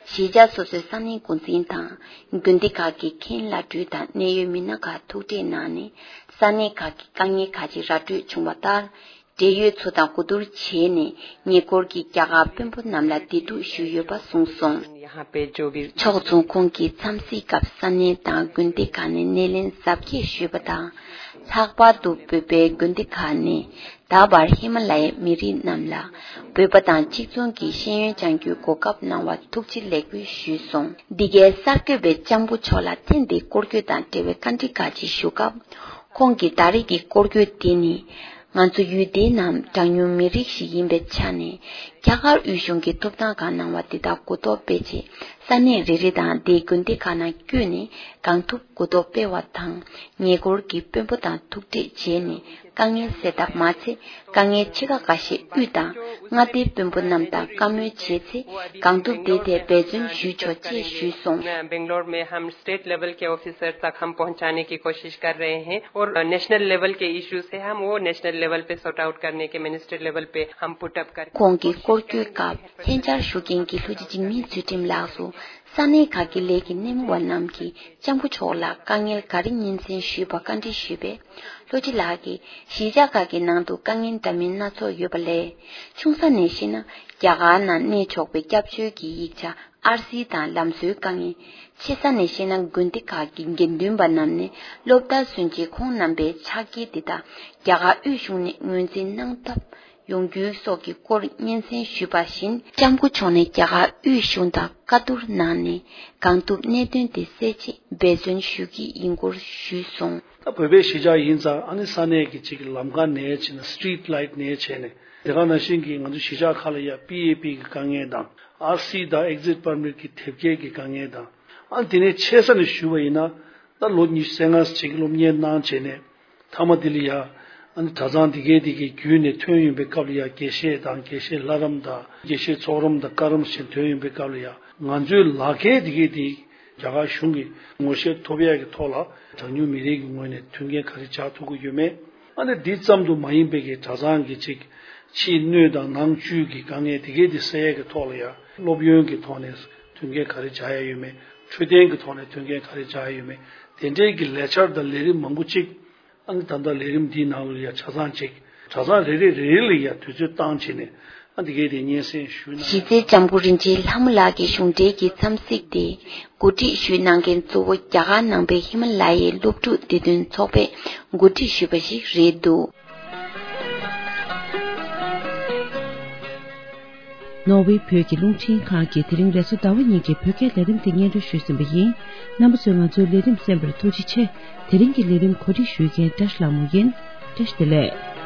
གཞིས་ཆགས་སོ་སོའི་ས་གནས་འགོ་འཛིན་དང་། དགོན་སྡེ་ཁག་གི་མཁན་བླ་སྤྲུལ་དང་གནད་ཡོད་མི་སྣ་ཁག་ཐུག་འཕྲད་གནང་ནས། ས་གནས་ཁག་གི་དཀའ་ངལ་ག་ཅི་ར་སྤྲོད་བྱུང་བ་ལྟར། འབྲེལ་ཡོད་ཚོ་དང་གོ་བསྡུར་བྱས་ནས། ཉེ་འཁོར་གྱི་རྒྱ་གར་དཔོན་པོ་རྣམས་ལ་བདེ་སྡུག་ཞུས་ཡོད་པ་གསུངས་སོང་། ཕྱོགས་མཚུངས། ཁོང་གིས་འཚམས་གཟིགས་སྐབས་ས་གནས་དང་དགོན་སྡེ་ཁག་ནས་སྣེ་ལེན་གཟབ་རྒྱས་ཞུས་པ་དང་། ལྷག་པར་དུ་བོད་པའི་དགོན་སྡེ་ཁག་ནས་ད་བར་ཧི་མ་ལ་ཡའི་མི་རིགས་རྣམས་ལ་བོད་པ་དང་གཅིག་མཚུངས་ཀྱི་ཤེས་ཡོན་སྦྱང་རྒྱུའི་གོ་སྐབས་གནང་བར་ཐུགས་རྗེ་ལེགས་འབུལ་ཞུས་སོང་། འདི་གའི་གསར་འགོད་པས་ལྕམ་སྐུ་མཆོག་ལ་ཐེངས་འདིའི་སྐོར་སྐྱོད་དང་འབྲེལ་བའི་བཀའ་འདྲི་ཁག་ཅིག་ཞུ་སྐབས། ཁོང་གིས་ད་རེས་ཀྱི་སྐོར་སྐྱོད་དེ་ནི། ང་ཚོ་ཡུལ་དེའི་ནང་གྲངས་ཉུང་མི་རིགས་ཤིག་ཡིན་པའི་ཆ་ནས། རྒྱ་གར་དབུས་གཞུང་གིས་ཐོབ་ཐང་ཁག་གནང་བ་འདི་དག་གོ་རྟོགས་སྤེལ་ཆེད། ས་གནས་རེ་རེ་དང་དེའི་དགོན་སྡེ་ཁག་ནང་བསྐྱོད་ནས། གང་ཐུབ་གོ་རྟོགས་སྤེལ་བ་དང་། ཉེ་འཁོར་གྱི་དཔོན་པོ་དང་ཐུག་འཕྲད་བྱས་ནས། དཀའ་ངལ་སེལ་ཐབས་མ་ཚད། དཀའ་ངལ་ཕྱེད་ཀ་འགའ་ཤས་དབུས་དང་མངའ་སྡེའི་དཔོན་པོ་རྣམས་དང་བཀའ་མོལ་བྱས་ཚེ། གང་ཐུབ་དེའི་ཐད་འབད་བརྩོན་ཞུས་ཆོག་ཅེས་ཞུས་སོང་། बेंगलोर में हम स्टेट लेवल के ऑफिसर तक हम पहुंचाने की कोशिश कर रहे हैं और नेशनल लेवल के इश्यूज है, हम वो नेशनल लेवल पे सॉर्ट आउट करने के, मिनिस्ट्री लेवल पे हम पुट अप कर ཁོང་གིས་སྐོར་སྐྱོད་སྐབས་ལྷན་བཅར་ཞུ་མཁན་གྱི་ལྷོ་སྤྱི་འཇིགས་མེད་ཚུལ་ཁྲིམས་ལགས་སུ། ས་གནས་ཁག་གི་ལས་ཀྱི་སྣེ་མོ་བ་རྣམས་ཀྱིས་ལྕམ་སྐུ་མཆོག་ལ་དཀའ་ངལ་ག་རེ་སྙན་སེང་ཞུས་པ་བཀའ་འདྲི་ཞུས་པས། ལྷོ་སྤྱི་ལགས་ཀྱིས་གཞིས་ཆགས་ཁག་གི་ནང་དུ་དཀའ་ངལ་འདྲ་མིན་སྣ་ཚོགས་ཡོད་པ་ལས། ཆུང་ས་ནས་ཤེས་ན། རྒྱ་གར་ནང་གནས་ཆོག་པའི་སྐྱབས་བཅོལ་གྱི་ཡིག་ཆ། ཨར་སི་དང་ལམ་བཟོའི་དཀའ་ངལ། ཆེ་ས་ནས་བཤད་ན། དགོན་སྡེ་ཁག་གི་དགེ་འདུན་པ་རྣམས་ནས་སློབ་མཐར་སོན་རྗེས་ཁོང་རྣམ་པའི་ཕྱག་འཁྱེར་འདི་དག་རྒྱ་གར་དབུས་གཞུང་ནས་ངོས་འཛིན་གནང་ཐབས་ཡོང་རྒྱུའི་སོགས་ཀྱི་སྐོར་སྙན་སེང་ཞུས་པ་བཞིན། ལྕམ་སྐུ་མཆོག་ནས་རྒྱ་གར་དབུས་གཞུང་དང་བཀའ་བསྡུར་གནང་ནས། གང་ཐུབ་གནད་དོན་དེ་སེལ་ཆེད་འབད་བརྩོན་ཞུ་གི་ཡིན་སྐོར་ཞུས་སོང་། ད་བོད་པའི་གཞིས་ཆགས་ཡིན་ཙང་། ཨ་ནི་ས་གནས་ཀྱི་གཅིག་གི་ལམ་ཁ་ནས་བྱས་ན། སི་ཊི་རིཊ་ལའིཊ་ནས་བྱས་ནས། དེ་ག་ནང་བཞིན་གྱི་ང་ཚོ་གཞིས་ཆགས་ཁག་ལ་ཡ་པི་ཨེ་པི་གི་དཀའ་ངལ་དང་། ཨར་སི་དང་ཨེག་ཛིཊ་པར་མིཊ་གི་དེབ་སྐྱེལ་གྱི་དཀའ་ངལ་དང་། ཨ་ནི་དེ་ནས་ཆེ་ས་ནས་ཞུ་བ་ཡིན་ན། ད་ལོ་ཉི་ཤུ་རྩ་ལྔ་ཅིག་སློབ་གཉེར་གནང་བྱས་ནས། མཐའ་མ་དེ་ལ་ཡ། ཨ་ནི་གྲྭ་ཚང་དེ་གའི་དེ་གའི་བརྒྱུད་ནས་ཐོན་ཡོང་པའི་སྐབས་ལ་ཡ། དགེ་བཤེས་དང་། དགེ་བཤེས་ལྷ་རམས་དང་། དགེ་བཤེས་ཚོགས་རམས་དང་། བཀའ་རམས་བྱས་ཐོན་ཡོང་པའི་སྐབས་ལ་ཡ། ང་ཚོའི་ལག་ཁྱེར་དེ་གའི་དེ། རྒྱ་གར་གཞུང་གི་ངོ་ཤེས་ཐོབ་ཡག་གི་ཐོག་ལ། གྲངས་ཉུང་མི་རིགས་ཀྱི་ངོས་ནས་མཐུན་རྐྱེན་ག་རེ་སྦྱར་ཐུབ་ཀྱི་ཡོད་མེད། ཨ་ནི་འདི་ཙམ་དུ་མ་ཡིན་པའི་གི་གྲྭ་ཚང་གི་ཅིག་ཕྱིའི་སྣོད་དང་ནང་བཅུད་ཀྱི་དཀའ་ངལ་དེ་གའི་དེ་སེལ་ཡག་གི་ཐོག་ལ་ཡ། སློབ་ཡོན་གྱི་ཐོག་ནས་མཐུན་རྐྱེན་ག་རེ་སྦྱར་ཡག་ཡོད་མེད། འཕྲོད་བསྟེན་གྱི་ཐོག་ནས་མཐུན་རྐྱེན་ག་རེ་སྦྱར་ཡག་ཡོད་མེད། དེ་འདྲའི་གི་ལས་འཆར་དང་ལས་རིམ་མང་པོ་ཅིག། ཨ་ནི་ད་ལྟ་ལས་རིམ་འདིའི་ནང་ལ་ཡ་ཆ་ཚང་ཅིག། གྲྭ་ཚང་རེ་རེ་རེ་རེ་ལ་ཡ་དུས་ཚོད་བཏང་བྱས་ནས། ཨ་འདི་གའི་དེ་སྙན་སེང་ཞུས་ན། གཞིས་རྩེ་ལྕམ་སྐུ་རིན་ཆེན་ལྷ་མོ་ལགས་ཀྱི་གཞུང་འབྲེལ་གྱི་འཚམས་གཟིགས་དེ། གོ་སྒྲིག་ཞུས་གནང་མཁན་གཙོ་བོ་རྒྱ་གར་ནང་པའི་ཧི་མ་ལ་ཡའི་སློབ་ཕྲུག་བདེ་དོན་ཚོགས་པས་གོ་སྒྲིག་ཞུས་པ་ཞིག་རེད་འདུག། ནོར་ཝེ་བོད་ཀྱི་རླུང་འཕྲིན་ཁང་གིས་དེ་རིང་རེས་གཟའ་ཟླ་བ་ཉིན་གྱི་བོད་སྐད་ལས་རིམ་དེ་སྙན་སྒྲོན་ཞུས་ཟིན་པ་ཡིན། རྣམ་པ་ཚོས་ང་ཚོའི་ལས་རིམ་གསན་པར་ཐུགས་རྗེ་ཆེ། དེ་རིང་གི་ལས་རིམ་གོ་སྒྲིག་ཞུ་མཁན་བཀྲ་ཤིས་ལྷ་མོ་ཡིན། བཀྲ་ཤིས་བདེ་ལེགས།